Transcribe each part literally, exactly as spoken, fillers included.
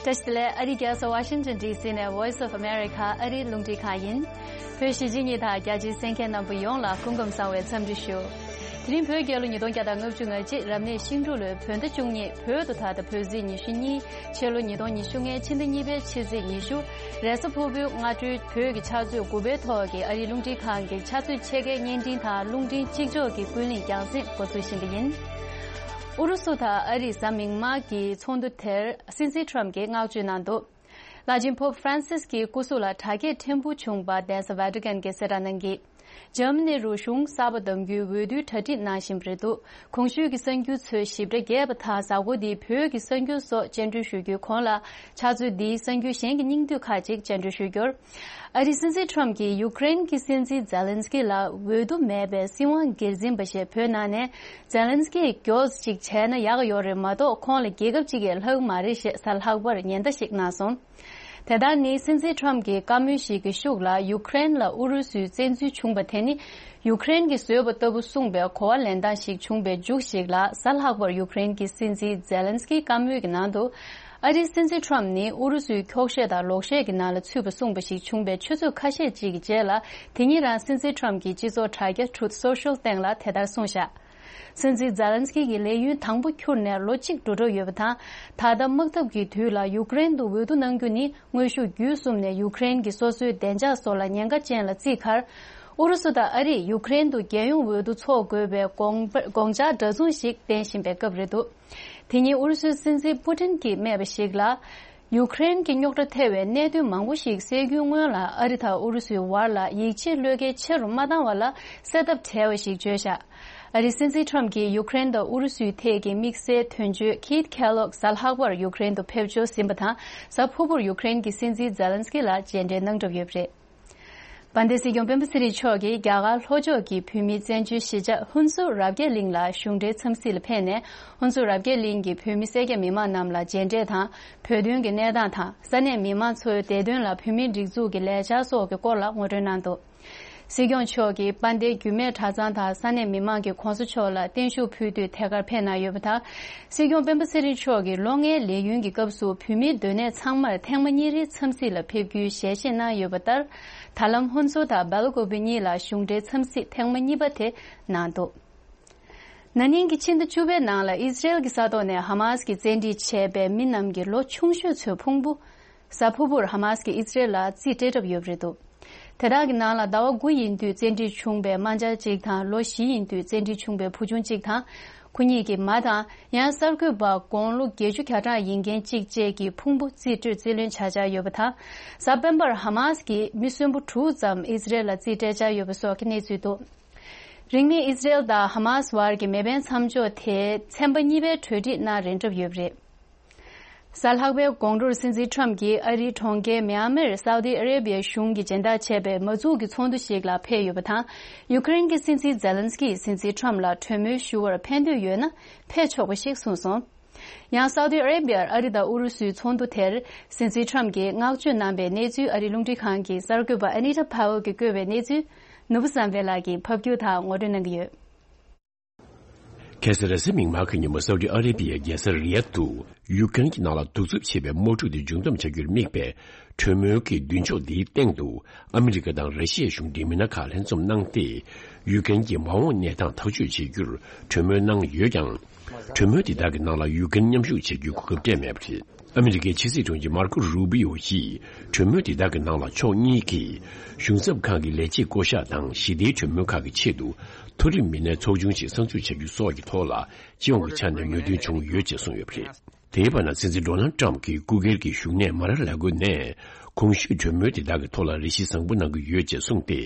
བཀྲ་ཤིས་བདེ་ལེགས། ཨ་རིའི་རྒྱལ་ས་ཝ་ཤིང་ཊོན་ཌི་སི་ནས་Voice of America ཨ་རིའི་རླུང་འཕྲིན་ཁང་ཡིན། བོད་གཞིས་བྱེས་གཉིས་དང་རྒྱ་ཆེའི་གསན་མཁན་རྣམ་པ་ཡོངས་ལ་སྐུ་ཁམས་བཟང་བའི་འཚམས་འདྲི་ཞུ། དེ་རིང་བོད་རྒྱལ་ལོ་ཉིས་སྟོང་བརྒྱ་དང་ལྔ་བཅུ་ང་གཅིག་རབ་གནས་ཤིང་འབྲུག་ལོའི་བོད་ཟླ་བཅུ་གཉིས། བོད་དུ་ད་ལྟ་བོད་ཟླ་ཉི་ཤུ་གཉིས། ཕྱི་ལོ་ཉིས་སྟོང་ཉི་ཤུ་ལྔའི་ཕྱི་ཟླ་གཉིས་པའི་ཕྱི་ཚེས་ཉི་ཤུ། རེས་གཟའ་ཕུར་བུའི་སྔ་དྲོའི་བོད་ཀྱི་ཆུ་ཚོད་དགུ་པའི་ཐོག་གི་ཨ་རིའི་རླུང་འཕྲིན་ཁང་གི་ཆུ་ཚོད་ཕྱེད་ཀའི་བརྙན་འཕྲིན་དང་རླུང་འཕྲིན་གཅིག་ལྕོགས་ཀྱི་ཀུན་གླེང་རྒྱང་སྲིང་འགོ་འཛུགས་བཞིན་པ་ཡིན། ཨུ་རུ་སུ་དང་ཨ་རིའི་གཟའ་མིག་དམར་གྱི་ཚོགས་འདུ་དེར་སྲིད་འཛིན་ཁྲམ་གྱིས་བསྔགས་བརྗོད་གནང་འདུག་བླ་ཆེན་པོབ་ཧྥ་རན་སིས་ཀྱི་སྐུ་གཟུགས་ལ་དྲག་སྐྱེད་ཕྲན་བུ་བྱུང་བ་གདན་ས་ཝེ་ཏི་ཀན་གྱིས་གསལ་བསྒྲགས་གནང་གིས། འཇར་མ་ནི་རུ་གཞུང་གསར་པ་བདམས་རྒྱུའི་འོས་བསྡུའི་གྲ་སྒྲིག་གནང་བཞིན་པ་རེད་འདུག་གོང་ཞུས་ཀྱི་གསར་འགྱུར་ཚོའི་ཞིབ་ཕྲ་རྒྱས་པ་དང་གཟའ་འཁོར་འདིའི་བོད་ཀྱི་གསར་འགྱུར་སོགས་སྤྱན་འགྲོལ་ཞུ་རྒྱུའི་གོང་ལ། ཕྱག་ཚོད་འདིའི་གསར་འགྱུར་གཞན་གྱི་སྙིང་བསྡུས་ཁག་ཅིག་སྤྱན་འགྲོལ་ཞུ་རྒྱུར། ཨ་རིའི་སྲིད་འཛིན་ཁྲམ་གྱིས་ཡུཀ་རེན་གྱི་སྲིད་འཛིན་ཛེ་ལན་སི་ཀི་ལ་འོས་བསྡུ་མེད་པའི་སྲིད་དབང་སྒེར་འཛིན་པ་ཞེས་བོད་ནང་ནས་ཛེ་ལན་སི་ཀིས་མགྱོགས་ཅིག་བྱས་ན་ཡག་ཡོད་རེད་མ་གཏོགས་ཁོང་ལ་རྒྱལ་ཁབ་ཅིག་གིས་ལྷག་མ་རེད་ཞེས་གཟའ་ལྷག་པར་ཉེན་བརྡ་ཞིག་གནང་སོང་། དེ་ལྟར་ནི་སྲིད་འཛིན་ཁྲམ་གྱི་བཀའ་མོལ་ཞིག་གི་ཤུགས་ལ་ཡུཀ་རེན་ལ་ཨུ་རུ་སུའི་བཙན་འཛུལ་བྱུང་བ་དེ་ནི་ཡུཀ་རེན་གྱིས་བཟོས་པ་ལྟ་བུ་གསུངས་པའི་གོ་བ་ལེན་སྟངས་ཤིག་བྱུང་བའི་མཇུག་ཞིག་ལ། གཟའ་ལྷག་པར་ཡུཀ་རེན་གྱི་སྲིད་འཛིན་ཛེ་ལན་སི་ཀིའི་བཀའ་མོལ་གྱི་ནང་དུ། ཨ་རིའི་སྲིད་འཛིན་ཁྲམ་ནི་ཨུ་རུ་སུའི་འཁྱོག་བཤད་དང་ལོག་བཤད་ཀྱི་ནང་ལ་ཚུད་པ་གསུངས་པ་ཞིག་བྱུང་བའི་ཆུ་ཚོད་ཁ་ཤས་ཅིག་གི་རྗེས་ལ། དེ་ཉིད་རང་སྲིད་འཛིན་ཁྲམ་གྱི་སྤྱི་ཚོགས་དྲ་རྒྱ་Truth Social སྟེང་ལ་དེ་ལྟར་གསུངས་བཞག་སྲིད་འཛིན་ཛེ་ལན་སི་ཀི་གི་ལས་ཡུན་དང་པོ་འཁྱུར་ནས་ལོ་གཅིག་འགྲོ་གྲབས་ཡོད་པ་དང་། ད་ལྟ་དམག་འཐབ་ཀྱི་དུས་ལ་ཡུཀ་རེན་དུ་འོས་བསྡུ་གནང་རྒྱུ་ནི་དངོས་ཤུགས་བརྒྱུད་གསུམ་ནས་ཡུཀ་རེན་གྱི་སོ་སོའི་བདེ་འཇགས་སོགས་ལ་ཉེན་ཁ་ཅན་ལ་བརྩིས་ཁར། ཨུ་རུ་སུ་དང་ཨ་རིས་ཡུཀ་རེན་དུ་རྒྱལ་ཡོངས་འོས་བསྡུ་འཚོགས་དགོས་པའི་དགོངས་པ་དགོངས་འཆར་འདྲ་མཚུངས་ཤིག་བསྟན་བཞིན་པའི་སྐབས་རེད་འདུག་དེ་ཉིན་ཨུ་རུ་སུའི་སྲིད་འཛིན་པུ་ཏིན་གྱིས་སྨྲས་པ་ཞིག་ལ། ཡུཀ་རེན་གྱི་རྙོག་དྲ་ཐེ་བའི་གནད་དོན་མང་པོ་ཞིག་སེལ་རྒྱུའི་སྔོན་ལ་ཨ་རི་དང་ཨུ་རུ་སུའི་བར་ལ་ཡིད་ཆེས་བློས་འགེལ་ཆེ་རུ་མ་བཏང་བ་ལ་སེལ་ཐབས་བྲལ་བ་ཞིག་བརྗོད་བཞག་ཨ་རིའི་སྲིད་འཛིན་ཁྲམ་གྱིས་ཡུཀ་རེན་དང་ཨུ་རུ་སུའི་ཐད་ཀྱི་དམིགས་བསལ་དོན་གཅོད་ཁིད་ཁེ་ལོག་གཟའ་ལྷག་པར་ཡུཀ་རེན་དུ་ཕེབས་འབྱོར་ཟིན་པ་དང་། གཟའ་ཕུར་བུར་ཡུཀ་རེན་གྱི་སྲིད་འཛིན་ཛེ་ལན་སི་ཀི་ལ་མཇལ་འཕྲད་གནང་གྲབས་ཡོད་པ་རེད། དཔལ་ལྡན་སྲིད་སྐྱོང་སྤེན་པ་ཚེ་རིང་མཆོག་གིས་རྒྱ་གར་ལྷོ་ཕྱོགས་ཀྱི་བོད་མིའི་བཙན་བྱོལ་གཞིས་ཆགས་ཧུན་སུར་རབ་རྒྱས་གླིང་ལ་གཞུང་འབྲེལ་འཚམས་གཟིགས་ལ་ཕེབས་ནས། ཧུན་སུར་རབ་རྒྱས་གླིང་གི་བོད་མི་སེར་སྐྱ་མི་མང་རྣམས་ལ་མཇལ་འཕྲད་དང་། བོད་དོན་གྱི་གནས་སྟངས་དང་། ས་གནས་མི་མང་ཚོའི་བདེ་དོན་ལ་བོད་མིའི་སྒྲིག་འཛུགས་ཀྱི་ལས་འཆར་སོགས་ཀྱི་སྐོར་ལ་ངོ་སྤྲོད་གནང་འདུག་སྲིད་སྐྱོང་མཆོག་གིས་དཔལ་ལྡན་རྒྱུད་སྨད་གྲྭ་ཚང་དང་ས་གནས་མི་མང་གིས་གོང་ས་མཆོག་ལ་བརྟན་བཞུགས་ཕུལ་དུས་ཐད་ཀར་ཕེབས་གནང་ཡོད་པ་དང་། སྲིད་སྐྱོང་སྤེན་པ་ཚེ་རིང་མཆོག་གིས་ལོ་ལྔའི་ལས་ཡུན་གྱི་སྐབས་སུ་བོད་མིའི་སྡོད་གནས་ཚང་མར་ཐེངས་མ་གཉིས་རེའི་འཚམས་གཟིགས་ལ་ཕེབས་རྒྱུའི་ཞལ་བཞེས་གནང་ཡོད་པ་ལྟར། ད་ལམ་ཧོན་སུར་དང་སྦེལ་ཀོབ་གཉིས་ལ་གཞུང་འབྲེལ་འཚམས་གཟིགས་ཐེངས་མ་གཉིས་པ་དེ་གནང་འདུག་ན་ནིང་གི་ཕྱི་ཟླ་བཅུ་པའི་ནང་ལ་ཨི་ཟི་རེལ་གྱི་ས་ཐོག་ནས་ཧ་མཱ་སི་གིས་བཙན་ཁྲིད་བྱས་པའི་མི་རྣམས་ཀྱི་ལོ་ཆུང་ཤོས་ཚོའི་ཕུང་པོ། གཟའ་ཕུར་བུར་ཧ་མཱ་སི་གིས་ཨི་ཟི་རེལ་ལ་རྩིས་སྤྲད་གྲབས་ཡོད་པ་རེད་འདུག་དེ་དག་གི་ནང་ལ་ཟླ་བ་དགུ་ཡིན་དུས་བཙན་ཁྲིད་བྱུང་བའི་དམག་འཆར་གཅིག་དང་། ལོ་བཞི་ཡིན་དུས་བཙན་ཁྲིད་བྱུང་བའི་བུ་ཆུང་གཅིག་དང་། ཁོ་གཉིས་ཀྱི་མ་དང་། ཡང་གསར་འགོད་པ་དགུང་ལོ་བརྒྱད་ཅུ་གྱ་གྲངས་ཡིན་མཁན་གཅིག་བཅས་ཀྱི་ཕུང་པོ་རྩིས་སྤྲོད་རྩིས་ལེན་བྱ་འཆར་ཡོད་པ་དང་། གཟའ་སྤེན་པར་ཧ་མཱ་སི་གིས་མི་གསོན་པོ་དྲུག་ཙམ་ཨི་ཟི་རེལ་ལ་རྩིས་སྤྲད་འཆར་ཡོད་པ་སོགས་ཀྱི་གནས་ཚུལ་འདུག་རིང་མིན་ཨི་ཟི་རེལ་དང་ཧ་མཱ་སི་བར་གྱི་མེ་འཕེན་མཚམས་འཇོག་དེ་ཚན་པ་གཉིས་པའི་གྲོས་འགྲིག་གནང་རན་གྲབས་ཡོད་པ་རེད། གཟའ་ལྷག་པའི་དགོང་དྲོར་སྲིད་འཛིན་ཁྲམ་གྱིས་ཨ་རིའི་གྲོང་ཁྱེར་མི་ཨ་མིར་སའུ་ཏི་ཨ་རེ་བྷི་ཡའི་གཞུང་གིས་སྦྱིན་བདག་བྱས་པའི་མ་འཛུགས་ཀྱི་ཚོགས་འདུ་ཞིག་ལ་ཕེབས་ཡོད་པ་དང་། ཡུ་ཀེ་རེན་གྱི་སྲིད་འཛིན་ཛེ་ལན་སི་ཀིས་སྲིད་འཛིན་ཁྲམ་ལ་གྲོས་མོལ་ཞུ་བར་ཕན་འདོད་ཡོད་ན་ཕེབས་ཆོག་པ་ཞིག་གསུངས་སོང་། ཡང་སའུ་ཏི་ཨ་རེ་བྷི་ཡར་ཨ་རི་དང་ཨུ་རུ་སུའི་ཚོགས་འདུ་དེར་སྲིད་འཛིན་ཁྲམ་གྱིས་བསྔགས་བརྗོད་གནང་པའི་གནས་ཚུལ། ཨ་རིའི་རླུང་འཕྲིན་ཁང་གི་གསར་འགོད་པ་ཨ་ནི་ཏ་ཕ་ཝལ་གྱིས་བཀོད་པའི་གནས་ཚུལ། ནོར་བུ་བསམ་འཕེལ་ལགས་ཀྱིས་ཕབ་སྒྱུར་དང་ངོ་སྤྲོད་གནང་གི་ཡོད། ཁ་སང་རེས་གཟའ་མིག་དམར་གྱི་ཉིན་མོ་སའུ་ཏི་ཨ་རེ་བྷི་ཡའི་རྒྱལ་ས་རི་ཡད་དུ་ཡུཀ་རེན་གྱི་ནང་ལ་གདུག་རྩུབ་ཆེ་བའི་དམག་འཁྲུག་དེ་མཇུག་བསྡོམས་བྱ་རྒྱུར་དམིགས་པའི་གྲོས་མོལ་གྱི་མདུན་ཅོག་འདིའི་སྟེང་དུ་ཨ་མི་རི་ཀ་དང་ར་ཤི་ཡའི་གཞུང་འབྲེལ་མི་སྣ་ཁག་ལྷན་འཛོམས་གནང་སྟེ། ཡུཀ་རེན་གྱི་མ་འོངས་གནས་སྟངས་ཐག་གཅོད་བྱེད་རྒྱུར་གྲོས་མོལ་གནང་ཡོད་ཀྱང་། གྲོས་མོལ་དེ་དག་གི་ནང་ལ་ཡུཀ་རེན་མཉམ་ཞུགས་བྱེད་རྒྱུའི་གོ་སྐབས་སྤྲད་མེད་པ་རེད། ཨ་མི་རི་ཀའི་ཕྱི་སྲིད་དྲུང་ཆེ་མར་ཀོ་རུ་བྷི་ཡོ་ཡིས་གྲོས་མོལ་དེ་དག་གི་ནང་ལ་ཕྱོགས་གཉིས་ཀྱིས་གཞུང་ཚབ་ཁང་གི་ལས་བྱེད་བསྐོ་གཞག་དང་ཞི་བདེའི་གྲོས་མོལ་ཁག་གི་ཆེད་དུ་མཐོ་རིམ་མི་སྣའི་ཚོགས་ཆུང་ཞིག་གསར་འཛུགས་བྱ་རྒྱུ་སོགས་ཀྱི་ཐོག་ལ་སྤྱི་ཡོངས་ཀྱི་ཆ་ནས་མོས་མཐུན་བྱུང་ཡོད་ཅེས་གསུངས་ཡོད་པ་རེད། དེའི་བར་ན་སྲིད་འཛིན་ཌོ་ནལ་ཊམ་གྱིས་སྐུ་སྒེར་གྱི་བཞུགས་གནས་མ་ར་ལ་གོ་ནས་གོང་ཞུས་གྲོས་མོལ་དེ་དག་གི་ཐོག་ལ་རེ་ཞིག་བཟང་པོ་གནང་གི་ཡོད་ཅེས་གསུངས་ཏེ།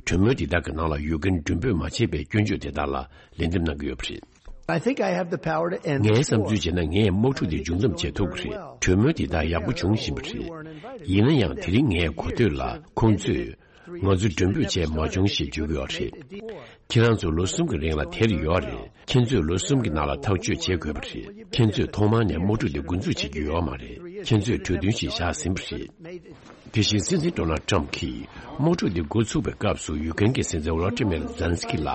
གྲོས་མོལ་དེ་དག་གི་ནང་ལ་ཡུཀ་རེན་མགྲོན་འབོད་མ་བྱས་པའི་སྐྱོན་བརྗོད་དེ་དག་ལ་ལན་འདེབས་གནང་གི་ཡོད་པ་རེད། I think I have the power to end the war. ངས་བསམ་ཚུལ་བྱས་ན་ངས་དམག་འཁྲུག་དེ་མཇུག་བསྡོམས་བྱེད་ཐུབ་ཀྱི་རེད། གྲོས་མོལ་དེ་དག་ཡག་པོ་བྱུང་བཞིན་པ་རེད། ཡིན་ན་ཡང་དེ་རིང་ངའི་གོ་ཐོས་ལ་ཁོང་ཚོས་ང་ཚོ་མགྲོན་འབོད་བྱས་མ་བྱུང་ཞེས་བརྗོད་ཀྱི་ཡོད་རེད། ཁྱེད་རང་ཚོ་ལོ་གསུམ་གྱི་རིང་ལ་དེར་ཡོད་རེད། ཁྱེད་ཚོས་ལོ་གསུམ་གྱི་ནང་ལ་ཐག་གཅོད་བྱེད་དགོས་པ་རེད། ཁྱེད་ཚོས་ཐོག་མར་ནས་དམག་འཁྲུག་དེ་འགོ་འཛུགས་བྱེད་ཀྱི་ཡོད་མ་རེད། ཁྱེད་ཚོས་གྲོས་མཐུན་ཞིག་བཞག་ཟིན་པ་རེད། དེ་བཞིན་སྲིད་འཛིན་ཌོ་ནལ་ཊམ་གྱིས་དམག་འཁྲུག་འདི་འགོ་ཚུགས་པའི་སྐབས་སུ་ཡུ་ཀེན་གྱི་སྲིད་འཛིན་ཝོ་ལོ་ཏི་མེར་ཛེ་ལན་སི་ཀི་ལ་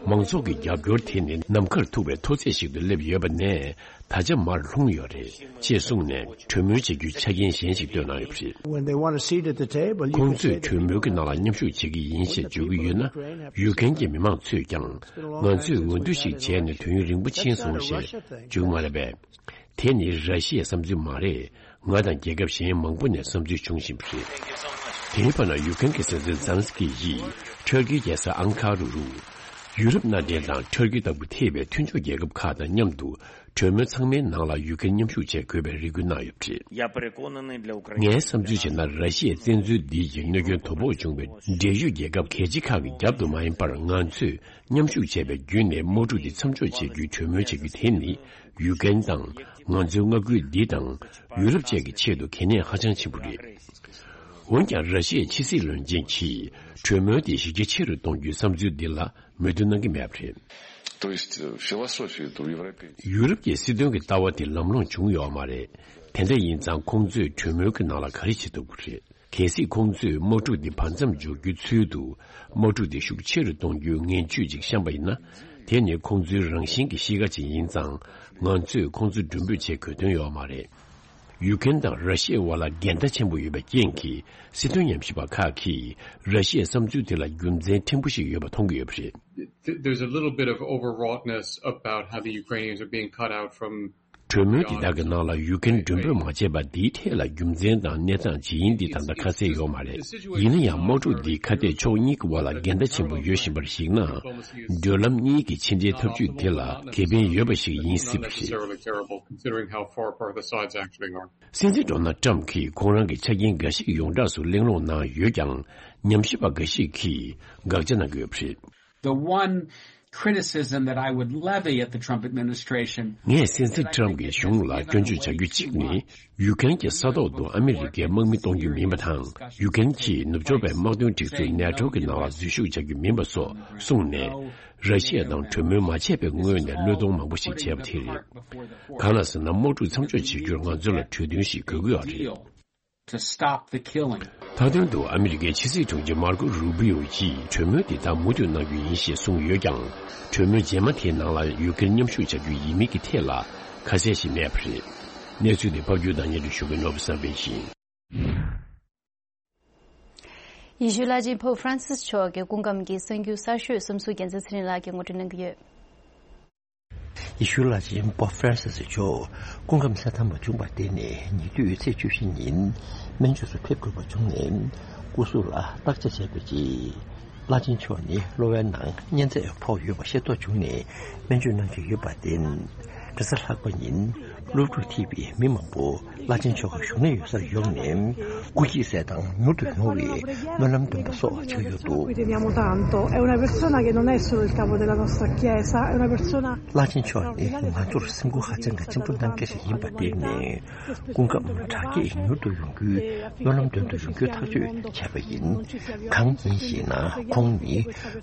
མང་ཚོགས་ཀྱི་རྒྱབ་སྐྱོར་དེ་ནི་ནམ་མཁར་ཐུག་པའི་མཐོ་ཚད་ཞིག་ཏུ་སླེབས་ཡོད་པ་ནས། ད་ཆ་མར་ལྷུང་ཡོད་རེད་ཅེས་གསུངས་ནས། གྲོས་མོལ་བྱེད་རྒྱུའི་ཆ་རྐྱེན་གཞན་ཞིག་བཏོན་གནང་ཡོད་པ་རེད། When they want a seat at the table, you ཁོང་can ཚོས་sit. གྲོས་མོལ་གྱི་ནང་ལ་མཉམ་ཞུགས་བྱེད་ཀྱི་ཡིན་ཞེས་བརྗོད་ཀྱི་ཡོད་ན། ཡུ་ཀེན་གྱི་མི་མང་ཚོས་ཀྱང་ང་ཚོས་འོས་བསྡུ་ཞིག་བྱས་ནས་དུས་ཡུན་རིང་པོ་ཕྱིན་སོང་ཞེས་བརྗོད་ཀྱི་མ་རེད་པས། དེ་ནི་ར་ཤི་ཡའི་བསམ་ཚུལ་མ་རེད། ང་དང་རྒྱལ་ཁབ་གཞན་མང་པོ་ནས་བསམ་ཚུལ་བྱུང་བཞིན་པ་རེད། དེའི་བར་ན་ཡུ་ཀེན་གྱི་སྲིད་འཛིན་ཛེ་ལན་སི་ཀི་ཡིས་ཊར་ཀིའི་རྒྱལ་ས་ཨང་ཁ་རུ་རུ། ཡུ་རོབ་མནའ་འབྲེལ་དང་ཊར་ཀི་ལྟ་བུ་ཐེ་བའི་མཐུན་ཕྱོགས་རྒྱལ་ཁབ་ཁག་དང་མཉམ་དུ་གྲོས་མོལ་ཚང་མའི་ནང་ལ་ཡུ་ཀེན་མཉམ་ཞུགས་བྱེད་དགོས་པའི་རེ་སྐུལ་གནང་ཡོད་པ་རེད། ངའི་བསམ་ཚུལ་བྱས་ན། ར་ཤི་ཡའི་བཙན་འཛུལ་འདི་ཡིས་གནོད་སྐྱོན་དོ་ཕོག་བྱུང་བའི་འབྲེལ་ཡོད་རྒྱལ་ཁབ་གལ་ཆེ་ཁག་གི་རྒྱབ་ཏུ་མ་ཡིན་པར། ང་ཚོས་མཉམ་ཞུགས་བྱས་པའི་བརྒྱུད་ནས་དམག་འཁྲུག་འདི་མཚམས་འཇོག་བྱེད་རྒྱུའི་གྲོས་མོལ་བྱ་རྒྱུ་དེ་ནི། ཡུ་ཀེན་དང་། ང་ཚོའི་མངའ་ཁུལ་འདི་དང་། ཡུ་རོབ་བཅས་ཀྱི་ཆེད་དུ་གལ་གནད་ཧ་ཅང་ཆེན་པོ་རེད། འོན་ཀྱང་། ར་ཤི་ཡའི་ཕྱི་སྲིད་བློན་ཆེན་གྱིས་གྲོས་མོལ་དེ་གཞི་རྒྱ་ཆེ་རུ་གཏོང་རྒྱུའི་བསམ་ཚུལ་འདི་ལ་མོས་མཐུན་གནང་གི་མེད་པ་རེད། То есть, э, философия этого европейского ཡུ་རོབ་ཀྱི་སྲིད་དོན་གྱི་ལྟ་བ་དེ་ལམ་ལྷོང་བྱུང་ཡོད་མ་རེད། དེ་འདྲ་ཡིན་ཙང་། ཁོང་ཚོས་གྲོས་མོལ་གྱི་ནང་ལ་ག་རེ་བྱེད་ཐུབ་ཀྱི་རེད། གལ་སྲིད་ཁོང་ཚོས་དམག་འཁྲུག་འདི་བར་མཚམས་འཇོག་རྒྱུའི་ཚུལ་དུ། དམག་འཁྲུག་འདི་ཤུགས་ཆེ་རུ་གཏོང་རྒྱུའི་ངན་ཇུས་ཅིག་བཤམས་པ་ཡིན་ན། དེ་ནི་ཁོང་ཚོའི་རང་བཞིན་གྱི་གཤིས་ཀ་ཅིག་ཡིན་ཙང་། ང་ཚོས་ཁོང་ཚོ་མགྲོན་འབོད་བྱེད་དགོས་དོན་ཡོད་མ་རེད། ཡུ་ཀེན་དང་ར་ཤི་ཡའི་དབར་ལ་འགལ་ཟླ་ཆེན་པོ་ཡོད་པའི་རྐྱེན་གྱིས། སྲིད་དོན་ཉམས་ཞིབ་པ་ཁག་གིས་ར་ཤི་ཡའི་བསམ་ཚུལ་དེ་ལ་རྒྱུ་མཚན་ཕྲན་བུ་ཞིག་ཡོད་པ་མཐོང་གི་ཡོད་པ་རེད། Th- There's a little bit of overwroughtness about how the Ukrainians are being cut out from གྲོས་མོལ་འདི་དག་གི་ནང་ལ་ཡུ་ཀེན་མགྲོན་འབོད་མ་བྱས་པ་འདིའི་ཐད་ལ་རྒྱུ་མཚན་དང་གནས་སྟངས་ཇི་ཡིན་འདི་ད་ལྟ་ཁ་གསལ་ཡོད་མ་རེད། ཡིན་ན་ཡང་། དམག་འཁྲུག་འདི་ཁ་གཏད་ཕྱོགས་གཉིས་ཀྱི་དབར་ལ་འགལ་ཟླ་ཆེན་པོ་ཡོད་བཞིན་པར་གཞིགས་ན། མདུན་ལམ་གཉིས་ཀྱི་ཕྱི་འབྲེལ་ཐབས་ཇུས་དེ་ལ་ཁེ་ཕན་ཡོད་པ་ཞིག་ཡིན་སྲིད་པ་རེད། Necessarily terrible, considering how far apart the sides actually are. སྲིད་འཛིན་ཌོ་ནལ་ཊམ་གྱིས་ཁོང་རང་གི་ཆ་རྐྱེན་འགའ་ཞིག་ཡོངས་གྲགས་སུ་གླེང་སློང་གནང་ཡོད་ཀྱང་། ཉམས་ཞིབ་པ་འགའ་ཞིག་གིས་དགག་བྱ་གནང་གི་ཡོད་པ་རེད། The one criticism that I would levy at the Trump administration ངས་སྲིད་འཛིན་ཊམ་གྱི་གཞུང་ལ་སྐྱོན་བརྗོད་བྱ་རྒྱུ་གཅིག་ནི། ཡུ་ཀེན་གྱིས་ས་ཐོག་ཏུ་ཨ་མི་རི་ཀའི་དམག་མི་གཏོང་རྒྱུ་མིན་པ་དང་། ཡུ་ཀེན་གྱིས་ནུབ་ཕྱོགས་པའི་དམག་དོན་སྒྲིག་འཛུགས་ནེ་ཊོ་གི་ནང་ལ་འཛུལ་ཞུགས་བྱ་རྒྱུ་མིན་པ་སོགས་གསུངས་ནས། ར་ཤི་ཡ་དང་གྲོས་མོལ་མ་བྱས་པའི་སྔོན་ནས་བློས་གཏོང་མང་པོ་ཞིག་བྱས་པ་དེ་རེད། གང་ལ་ཟེར་ན། དམག་འཁྲུག་མཚམས་འཇོག་བྱེད་རྒྱུར་ང་ཚོ་ལ་གྲོས་མཐུན་ཞིག་དགོས་ཀྱི་ཡོད་རེད། To stop the killing. མཐའ་དོན་དུ་ཨ་མི་རི་ཀའི་ཕྱི་སྲིད་དྲུང་ཆེ་མར་ཀོ་རུ་བི་ཡོ་ཡིས་གྲོས་མོལ་འདི་དག་མུ་མཐུད་གནང་རྒྱུ་ཡིན་ཞེས་གསུངས་ཡོད་ཀྱང་། གྲོས་མོལ་རྗེས་མ་དེའི་ནང་ལ་ཡུ་ཀེརན་མཉམ་ཞུགས་བྱ་རྒྱུ་ཡིན་མིན་གྱི་ཐད་ལ་ཁ་གསལ་ཞིག་མེད་པ་རེད། གནས་ཚུལ་འདི་ཕབ་སྒྱུར་དང་སྙན་སྒྲོན་ཞུ་མཁན་ནོར་བུ་བསམ་འཕེལ་ཡིན། ཡེ་ཤུ་བླ་ཆེན་པོབ་ཧྥ་རན་སིས་མཆོག་གི་སྐུ་ཁམས་ཀྱི་གསར་འགྱུར་གསར་ཤོས་གསུམ་སུ་རྒྱལ་མཚན་ཚེ་རིང་ལགས་ཀྱིས་ངོ་སྤྲོད་གནང་གི་ཡོད། ཡེ་ཤུ་བླ་ཆེན་པོབ་ཧྥ་རན་སིས་མཆོག་སྐུ་ཁམས་གསལ་ཐང་མ་བྱུང་བར་བརྟེན་ནས། ཉེ་དུས་ཚེས་བཅུ་བཞི་ཉིན་སྨན་བཅོས་སུ་ཕེབས་དགོས་པ་བྱུང་ནས། སྐུ་གཟུགས་ལ་བརྟག་དཔྱད་བྱས་པའི་རྗེས། བླ་ཆེན་མཆོག་ནི་གློ་བའི་ནང་གཉན་ཚད་ཕོག་ཡོད་པ་ཤེས་རྟོགས་བྱུང་ནས། སྨན་བཅོས་གནང་གི་ཡོད་པར་བརྟེན། རེས་གཟའ་ལྷག་པ་ཉིན་སློབ་ཕྲུག་ཐེ་བའི་མི་མང་པོ་བླ་ཆེན་མཆོག་གི་བཞུགས་གནས་ཡོད་སར་ཡོང་ནས། སྐུ་སྐྱེས་སྲས་དང་མྱུར་དུ་ཡོང་བའི་སྨོན་ལམ་འདོན་པ་སོགས་བྱས་ཡོད་འདུག། Crediamo tanto. È una persona che non è solo il capo della nostra chiesa, è una persona. བླ་ཆེན་མཆོག་ནི་ང་ཚོར་སེམས་ཁུར་ཧ་ཅང་གི་ཆེན་པོ་གནང་མཁན་ཞིག་ཡིན་པར་བརྟེན་ནས། སྐུ་ཁམས་དྲག་སྐྱེད་མྱུར་དུ་ཡོང་རྒྱུའི་སྨོན་ལམ་འདོན་དུ་ཡོང་རྒྱུའི་ཐག་གཅོད་བྱས་པ་ཡིན། གང་ཡིན་ཞེ་ན། ཁོང་ནི་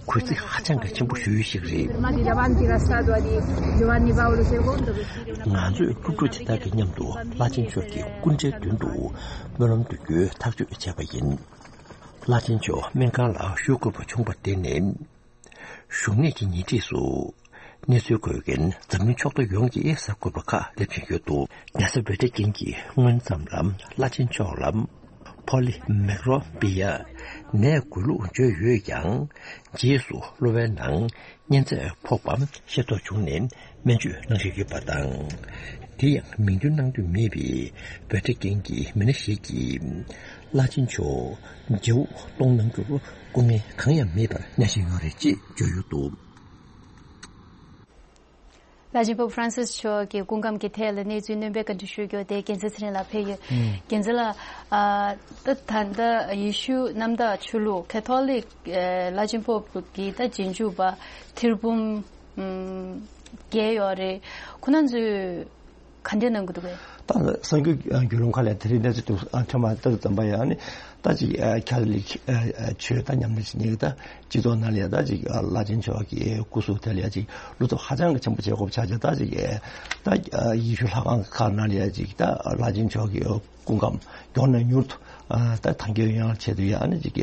གུས་བརྩི་ཧ་ཅང་གི་ཆེན་པོ་ཞུ་ཡུལ་ཞིག་རེད། Fermati davanti la statua di Giovanni Paolo secondo per dire una. ང་ཚོས་སློབ་ཕྲུག་དེ་དག་གི་མཉམ་དུ་བླ་ཆེན་མཆོག་གི་སྐུ་འདྲའི་མདུན་དུ་སྨོན་ལམ་འདོན་རྒྱུའི་ཐག་གཅོད་བྱས་པ་ཡིན། བླ་ཆེན་མཆོག་སྨན་ཁང་ལ་བཞུགས་དགོས་པ་བྱུང་བར་བརྟེན་ནས། བཞུགས་གནས་ཀྱི་ཉེ་འཁྲིས་སུ་གནས་ཚུལ་འགོད་མཁན་འཛམ་གླིང་ཕྱོགས་བསྡུས་ཡོངས་ཀྱིས་གཟབ་དགོས་པ་ཁག་སླེབས་བཞིན་ཡོད་འདུག། རྒྱལ་ས་ཝེ་ཊི་ཀན་གྱིས་སྔོན་ཙམ་ལ་བླ་ཆེན་མཆོག་ལ་ཕོ་ལི་མེག་རོ་བི་ཡ་ནད་འགོས་ལུགས་བརྗོད་ཡོད་ཀྱང་། རྗེས་སུ་གློ་བའི་ནང་གཉན་ཚད་ཕོག་པ་ཤེས་རྟོགས་བྱུང་ནས་སྨན་བཅོས་གནང་བཞིན་ཡོད་པ་དང་། དེ་ཡང་མིང་འདོན་གནང་འདོད་མེད་པའི་ཝེ་ཊི་ཀན་གྱི་མི་སྣ་ཞིག་གིས། བླ་ཆེན་མཆོག་མཇལ་དབུ་གཏོང་གནང་རྒྱུར་སྐུ་ངལ་གང་ཡང་མེད་པར་གནང་བཞིན་ཡོད་རེད་ཅེས་བརྗོད་ཡོད་འདུག། བླ་ཆེན་པོབ་ཧྥ་རན་སིས་མཆོག་གི་སྐུ་ཁམས་ཀྱི་ཐད་ལ་གནས་ཚུལ་སྣོན་པའི་བཀའ་འདྲི་ཞུ་རྒྱུ་དེ་རྒྱལ་མཚན་ཚེ་རིང་ལགས་ཕེབས་ཡོད། ཨུམ། རྒྱལ་མཚན་ལགས། ཨ། ད་ད་ལྟ་ཡེ་ཤུ་གནམ་བདག་ཆོས་ལུགས་ཁ་ཐོ་ལིག་ཨ། བླ་ཆེན་པོབ་ཀྱི་ད་རྗེས་འཇུག་པ་ཐེར་འབུམ་ཨུམ། བརྒྱད་ཡོད་རེད། ཁོ་རང་ཚོས་ག་འདྲ་གནང་གི་འདུག་གས། ད་གསར་འགྱུར་བརྒྱུད་ལམ་ཁག་ལ་དེ་རིང་གནས་ཚུལ་དུ་ཨ་ཐོན་པ་ལྟར་ཙམ་པ་ཡང་ནི་ད་ཅིག་ཨ་ཁ་ཐོ་ལིག་ཨ་ཨ་ཆོས་ད་ཉམས་ལེན་བྱེད་མཁན་གྱི་ད་སྤྱི་ཚོགས་ནང་ལ་ཡང་ད་ཅིག་ཨ་བླ་ཆེན་མཆོག་གི་སྐུ་གཟུགས་དེ་ལ་ཡང་ཅིག་བློ་སྟོབས་ཧ་ཅང་གི་ཆེན་པོ་བྱེད་དགོས་པ་ཆགས་ཀྱང་ད་ཅིག་ཨ་ད་ཨ་ཡེ་ཤུ་ལྷ་ཁང་ཁག་ནང་ལ་ཡང་ཅིག་ད་བླ་ཆེན་མཆོག་གི་སྐུ་ཁམས་མགྱོགས་ནས་མྱུར་དུ་ཨ་ད་ཐང་རྒྱལ་ཡོང་ཡག་ཆེད་དུ་ཡང་ཨ་ནི་ཅིག་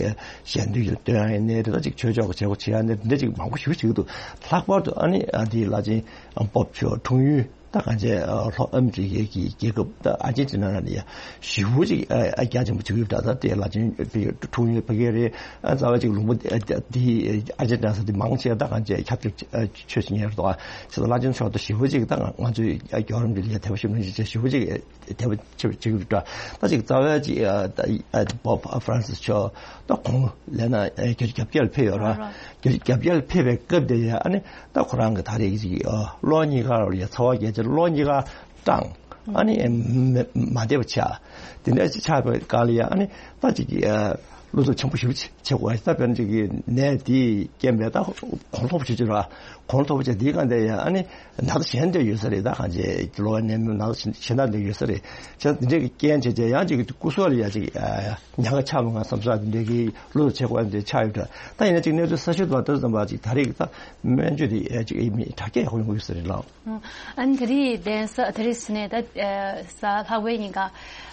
ཞལ་འདོན་ཞིག་སྟོན་ཡག་ཡིན་ནའི་རེད། ད་ཅིག་ཆོས་ཕྱོགས་ཀྱི་བྱེད་སྒོ་བྱེད་ཡག་ནི་འདི་འདྲ་ཅིག་མང་པོ་ཞེ་པོ་ཅིག་འདུག་ལྷག་པར་དུ་ཨ་ནི་ཨ་འདི་བླ་ཆེན་པོབ་མཆོག་འཁྲུངས་ཡུལ་ད་གང་བྱས་ལྷོ་ཨ་མི་རི་ཀའི་རྒྱལ་ཁབ་ད་ཨར་ཇེན་ཊི་ན་ནང་ནས་ཡ་ཞེ་པོ་ཅིག་ཨ་ཨ་རྒྱ་ཆེན་པོ་བྱེད་ཀྱི་ཡོད་པ་འདྲ། ད་དེ་བླ་ཆེན་པོབ་འཁྲུངས་ཡུལ་ཕ་གི་རེད། ཨ་རྩ་བ་ཅིག་ལུང་པ་འདི་ཨ་འདི་ཨར་ཇེན་ཊི་ན་ས་འདི་མང་ཆེ་ད་གང་བྱས་ཁ་ཐོ་ལིག་ཆོས་ཅིག་ཉར་འདུག་ཨ་ཅེ་ད་བླ་ཆེན་མཆོག་ད་ཞེ་པོ་ཅིག་ད་ང་ང་ཚོའི་ཨ་རྒྱལ་བ་རིན་པོ་ཆེ་ལ་དད་པ་ཞེ་པོ་ཅིག་བྱས་ཞེ་པོ་ཅིག་དེ་བ་ཆེ་བ་ཆེ་གི་འདྲ། ད་ཅིག་རྩ་བའི་ཅིག་ཨ་ད་ཨ་པོབ་ཨ་ཧྥ་རན་སིས་མཆོག་ད་ཁོང་ལས་ན་ཨ་བརྒྱ་ཆ་བརྒྱད་ལ་ཕེབས་ཡོད་ར། ར་ར། བརྒྱ་ཆ་བརྒྱད་ལ་ཕེབས་པའི་སྐབས་དེ་ཡ་ཨ་ནི་ད་ཁོ་རང་གི་ད་རེས་ཀྱི་ཅིག་ཨ་གློག་བརྙན་ཁང་ལ་ཡ་ཚ་བ་རྒྱ་ཆེ་གློག་བརྙན་ཁང་སྤྲང་ཨ་ནི་མ་མ་བདེ་བ་ཆགས། དེ་འདྲ་ཅིག་ཆགས་པའི་སྐབས་ལ་ཡ་ཨ་ནི་ད་ཅིག་ཨ་བློ་སྟོབས་ཆེན་པོ་ཞེ་པོ་ཅིག་བྱེད་དགོས། ད་དཔེར་ན་ཅིག་གི་ནད་དེའི་རྐྱེན་པས་ད་གོང་མཐོ་པོ་ཞེ་ཅིག་ར། གོང་མཐོ་པོ་བྱས་དེའི་སྒང་དེ་ཡང་ཨ་ནི་ན་ཚ་གཞན་དེ་ཡོད་ས་རེད། ད་གང་བྱས་གློ་བ་ནད་མེད་ན་ཚ་གཞན་དག་དེ་ཡོད་ས་རེད། བྱས་ཙང་དེ་འདྲའི་གི་རྐྱེན་བྱས་བྱས་ཡང་ཅིག་གི་སྐུ་སྲོག་ལ་ཡང་ཅིག་ཉེན་ཁ་ཆགས་མི་ང་བསམ་ས་དེ་འདྲའི་གི་བློ་ཆེ་དགོས་དེ་ཆགས་ཡོད་འདྲ། ད་ཡིན་ན་ཅིག་གནས་ཚུལ་གསར་ཤོས་དང་ལྟར་ཙམ་པ་ཅིག་ད་རེས་ཀྱི་ད་སྨན་བཅོས་དེ་ཅིག་མི་དྲག་སྐྱེད་ཡག་པོ་ཡོང་གི་ཡོད་ས་རེད་ལགས། ཨ་ནི་ད་རེས་གདན་ས་ད་རེས་ཟིན་ནས་ད་ཨ་གཟའ་ལྷག་པའི་ཉིན་ཀ་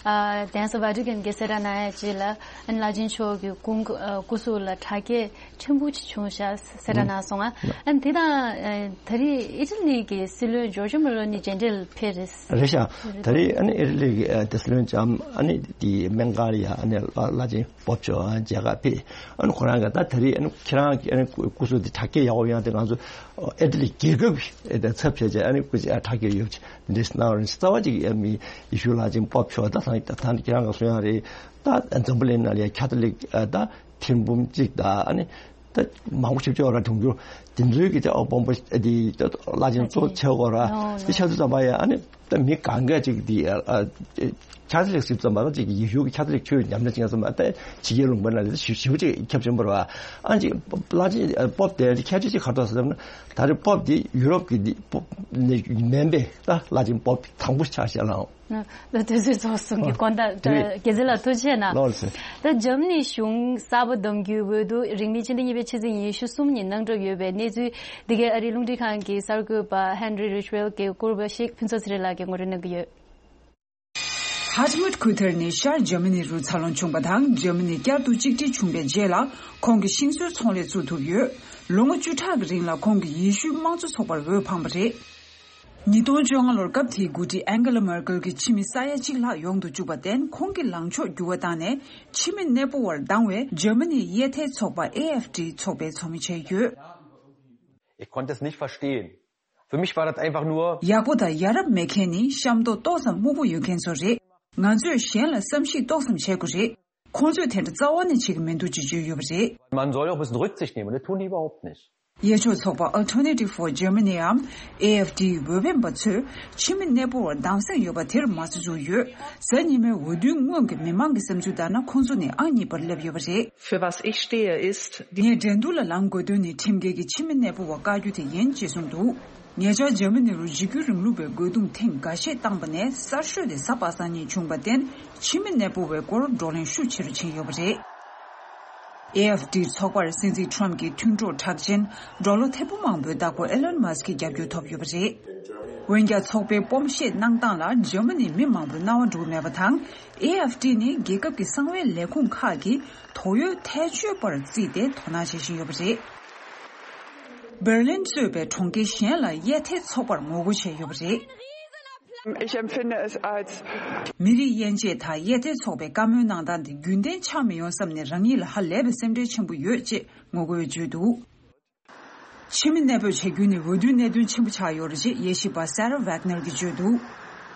ཨ་གདན་ས་ཝ་ཊི་ཀན་གྱི་གསལ་བསྒྲགས་གནང་ཡ་ཅིག་ལ་ཨ་ནི་བླ་ཆེན་མཆོག་གི་སྐུ་སྐུ་སྐུ་གཟུགས་ལ་དྲག་སྐྱེད་ཆེན་པོ་ཅིག་བྱུང་ཤག་གསལ་བསྒྲགས་གནང་སོང་ང་། ཨ་ནི་དེ་དང་ཨ་ད་རེས་ཨི་ཊ་ལི་གི་སྲིད་བློན་ཇོར་ཇོ་མེ་ལོ་ནི་མཇལ་འཕྲད་ལ་ཕེབས་རེད། རེད་ཤག་ད་རེས་ཨ་ནི་ཨི་ཊ་ལི་གི་ཨ་དེ་སྲིད་བློན་ལྕམ་ཨ་ནི་དེ་སྨན་ཁང་ལ་ཡ་ཨ་ནི་བླ་ཆེན་པོབ་མཆོག་མཇལ་ཁ་ཕེབས། ཨ་ནི་ཁོ་རང་གིས་ད་ད་རེས་ཨ་ནི་ཁྱེད་རང་གི་ཨ་ནི་སྐུ་སྐུ་གཟུགས་དེ་དྲག་སྐྱེད་ཡག་པོ་ཡོང་དེ་ང་ཚོ་ཨི་ཊ་ལི་རྒྱལ་ཁབ་ཀྱི་ཚབ་བྱས་བྱས་ཨ་ནི་སྐུ་ཚེ་དྲག་སྐྱེད་ཡོད་པ་འདི་གནང་བ་རེད། རྩ་བ་ཅིག་ཨ་མི་ཡེ་ཤུ་བླ་ཆེན་པོབ་མཆོག་ད་ད་ད་ཁྱེད་རང་གིས་གསུང་ཡག་རེད། ད་འཛམ་བུ་གླིང་ནང་ལ་ཡ་ཁ་ཐོ་ལིག་ཨ་ད་ཐེར་འབུམ་གཅིག་ད་ཨ་ནི་ད་མང་པོ་ཞིག་ཅིག་ཡོད་ར། འབྱུང་འགྱུར་དེ་ཚོའི་གི་ད་དབང་པོ་དེ་ད་བླ་ཆེན་གཙོ་བོ་བྱེད་དགོས་ར། དེ་ཆགས་དུས་ཙམ་པ་ཡ་ཨ་ནི་ད་མི་གང་ག་ཅིག་དེ་ཨ་ཨ་ཁ་ཐོ་ལིག་ཞིག་ཙམ་པ་ད་ཅིག་ཡེ་ཤུ་གི་ཁ་ཐོ་ལིག་ཆོས་ཉམས་ལེན་བྱེད་ཙམ་པ་ད་ཕྱི་རྒྱལ་ལུང་པ་ནང་ལ་ཞེ་ཞེ་པོ་ཅིག་ཁྱབ་ཆེན་པོ་ར། ཨ་ཅིག་བླ་ཆེན་པོབ་དེ་ཁྱད་ཆོས་ཅིག་ག་རེ་འདུག་ཟེར་ན་ད་རེས་པོབ་དེ་ཡུ་རོབ་ཀྱི་དེ་པོབ་ནས་མིན་པའི་ད་བླ་ཆེན་པོབ་དང་པོ་ཆགས་ཤག་ལགས། ད་དུས་ཚོད་རྫོགས་སོང་གི་དགོངས་དག་རེད། དགེ་མཚན་ལགས་ཐུགས་རྗེ་ཆེ་གནང་། ལགས་སོ། ད་འཇར་མ་ནི་གཞུང་གསར་པ་བདམས་རྒྱུའི་འོས་བསྡུ་རིང་མིན་ཕྱི་ཟླ་གཉིས་པའི་ཕྱི་ཚེས་ཉི་ཤུ་གསུམ་ཉིན་གནང་གྲབས་ཡོད་པའི་གནས་ཚུལ་འདི་གའི་ཨ་རིའི་རླུང་འཕྲིན་ཁང་གི་གསར་འགོད་པ་ཧན་རི་རི་ཆི་ཝེལ་གྱིས་བསྐུར་བ་ཞིག་ཕུན་ཚོགས་ཚེ་རིང་ལགས་ཀྱིས་ངོ་སྤྲོད་གནང་གི་ཡོད། ཧར་ཊ་མུད་ཁུལ་དེར་ནི་ཤར་འཇར་མ་ནི་རུ་འཚར་ལོངས་བྱུང་བ་དང་འཇར་མ་ནི་བསྐྱར་དུ་གཅིག་སྒྲིལ་བྱུང་བའི་རྗེས་ལ་ཁོང་གིས་ཤིང་བཟོའི་ཚོང་ལས་བཙུགས་ཐུབ་ཡོད། ལོ་ངོ་བཅུ་ཕྲག་གི་རིང་ལ་ཁོང་གིས་ཡེ་ཤུའི་དམངས་གཙོ་ཚོགས་པར་འོས་འཕངས་པ་རེད། ཉིས་སྟོང་བཅོ་ལྔ་ལོར་སྐབས་དེའི་འགོ་ཁྲིད་ཨན་གེ་ལ་མར་ཀེལ་གྱི་ཕྱི་མི་ས་ཡ་གཅིག་ལྷག་ཡོང་དུ་བཅུག་པར་བརྟེན་ཁོང་གི་ལངས་ཕྱོགས་འགྱུར་བ་བཏང་ནས་ཕྱི་མི་གནས་སྤོ་བར་སྡང་བའི་འཇར་མ་ནིའི་དབྱེ་ཐལ་ཚོགས་པ་ཨེ་ཨེཕ་ཌི་ཚོགས་པའི་ཚོགས་མི་བྱས་ཡོད། Ich konnte es nicht verstehen. Für mich war das einfach nur ཡག་པོ་དང་ཡ་རབས་མེད་མཁན་ནི་ཤ་མདོག་ཏོག་ཙམ་སྨུག་པོ་ཡོད་མཁན་ཚོ་རེད། ང་ཚོས་གཞན་ལ་བསམ་ཤེས་ཏོག་ཙམ་བྱེད་དགོས་རེད། ཁོང་ཚོས་དེ་འདྲ་རྩ་བ་ནས་བྱེད་ཀྱི་མི་འདུག་ཅེས་བརྗོད་ཡོད་པ་རེད། Man soll ja auch ein bisschen Rücksicht nehmen, ne? Tun die überhaupt nicht. དབྱེ་ཕྱོགས་ཚོགས་པ་Alternative for Germany་འམ་ཨེ་ཨེཕ་ཌིའི་འོས་འཕེན་པ་ཚོས་ཕྱི་མི་གནས་སྤོ་བར་སྡང་སེམས་ཡོད་པ་དེར་མ་རྩ་འཛུགས་ཡོད། གཟའ་ཉི་མའི་འོས་བསྡུའི་སྔོན་གྱི་མི་མང་གི་བསམ་ཚུལ་ལྟར་ན་ཁོང་ཚོ་ནི་ཨང་གཉིས་པར་སླེབས་ཡོད་པ་རེད། Für was ich stehe, ist die ངས་འགྲན་བསྡུར་ལ་ལངས་དགོས་དོན་ནི་ཁྲིམས་འགལ་གྱི་ཕྱི་མི་གནས་སྤོ་བ་བཀག་རྒྱུ་དེ་ཡིན་ཅེས་གསུངས་འདུག་ཉེ་ཆར་འཇར་མ་ནི་རུ་འཇིགས་སྐུལ་རིང་ལུགས་པའི་རྒོལ་རྡུང་ཐེངས་འགའ་ཤས་བཏང་པ་ནས་གསར་ཤོས་དེ་གཟའ་པ་སངས་ཉིན་བྱུང་བར་བརྟེན་ཕྱི་མི་གནས་སྤོ་བའི་སྐོར་བགྲོ་གླེང་ཤུགས་ཆེ་རུ་ཕྱིན་ཡོད་པ་རེད། ཨེ་ཨེཕ་ཌི་ཚོགས་པར་སྲིད་འཛིན་ཁྲོམ་གྱི་མཐུན་གྲོགས་གྲགས་ཅན་འབྲོག་ལོ་ཐེར་འབུམ་མང་པོའི་བདག་པོ་ཨེ་ལོན་མཱ་སི་ཀྱི་རྒྱབ་སྐྱོར་ཐོབ་ཡོད་པ་རེད། འོན་ཀྱང་ཚོགས་པའི་སྤོམ་བཤད་གནང་སྟངས་ལ་འཇར་མ་ནིའི་མི་མང་པོས་སྣང་བ་འགྲོ་གི་མེད་པ་དང་། ཨེ་ཨེཕ་ཌི་ནི་རྒྱལ་ཁབ་ཀྱི་གསང་བའི་ལས་ཁུངས་ཁག་གིས་དོགས་ཡོད་ཐལ་ཆོད་པར་བརྩིས་ཏེ་དོ་སྣང་བྱེད་བཞིན་ཡོད་པ་རེད། འབར་ལིན་གཙོས་པའི་གྲོང་ཁྱེར་གཞན་ལ་དབྱེ་ཐལ་ཚོགས་པར་ངོ་རྒོལ་བྱས་ཡོད་པ་རེད། Ich empfinde es als མི་རིགས་དབྱེ་འབྱེད་དང་དབྱེ་ཐལ་ཚོགས་པའི་བཀའ་མོལ་གནང་སྟངས་དེ་རྒྱུན་ལྡན་ཆགས་མི་ཡོང་བསམ་ནས་རང་ཉིད་ལ་ཧ་ལས་པའི་སེམས་ཁྲལ་ཆེན་པོ་ཡོད་ཅེས་ངོ་རྒོལ་བརྗོད་འདུག་ཕྱི་མི་གནས་སྤོས་བྱ་རྒྱུ་ནི་འོས་བསྡུའི་གནད་དོན་ཆེན་པོ་ཆགས་ཡོད་རེད་ཅེས་དབྱེ་ཞིབ་པ་Sarah Wagner གྱིས་བརྗོད་འདུག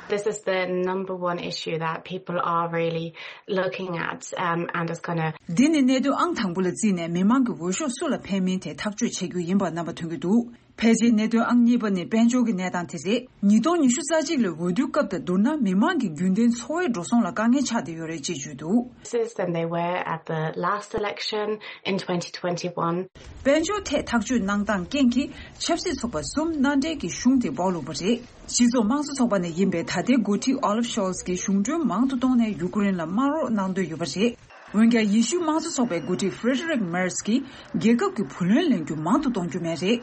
This is the number one issue that people are really looking at, um, and is gonna འདི་ནི་གནད་དོན་ཨང་དང་པོ་ལ་བརྩིས་ནས་མི་མང་གི་འོས་ཤོག་སུ་ལ་འཕེན་མིན་དེ་ཐག་གཅོད་བྱེད་རྒྱུ་ཡིན་པ་རྣམ་པ་མཐོང་གི་འདུག་ཕལ་ཆེར་གནད་དོན་ཨང་གཉིས་པ་ནི་དཔལ་འབྱོར་གྱི་གནས་སྟངས་དེ་རེད། ཉིས་སྟོང་ཉི་ཤུ་རྩ་གཅིག་ལོའི་འོས་བསྡུའི་སྐབས་དང་བསྡུར་ན། མི་མང་གི་རྒྱུན་ལྡན་འཚོ་བའི་འགྲོ་སོང་ལ་དཀའ་ངལ་ཆགས་བསྡད་ཡོད་རེད་ཅེས་བརྗོད་འདུག than they were at the last election in twenty twenty-one. དཔལ་འབྱོར་ཐད་ཐག་གཅོད་གནང་སྟངས་རྐྱེན་གྱིས་ཆབ་སྲིད་ཚོགས་པ་གསུམ་མནའ་འབྲེལ་གྱི་གཞུང་དེ་སྦོག་ལུགས་པ་རེད། སྤྱི་ཚོགས་དམངས་གཙོ་ཚོགས་པ་ནས་ཡིན་པའི་ད་ལྟའི་འགོ་ཁྲིད་Olaf Scholz་གྱིས་གཞུང་གྲོན་མང་དུ་གཏོང་ནས་ཡུ་ཀེ་རེན་ལ་དམག་རོགས་གནང་འདོད་ཡོད་པ་རེད། འོན་ཀྱང་ཡེ་ཤུའི་དམངས་གཙོ་ཚོགས་པའི་འགོ་ཁྲིད་Friedrich Merz་གྱིས་རྒྱལ་ཁབ་ཀྱི་བུ་ལོན་ལེན་རྒྱུ་མང་དུ་གཏོང་རྒྱུ་མེད་རེད།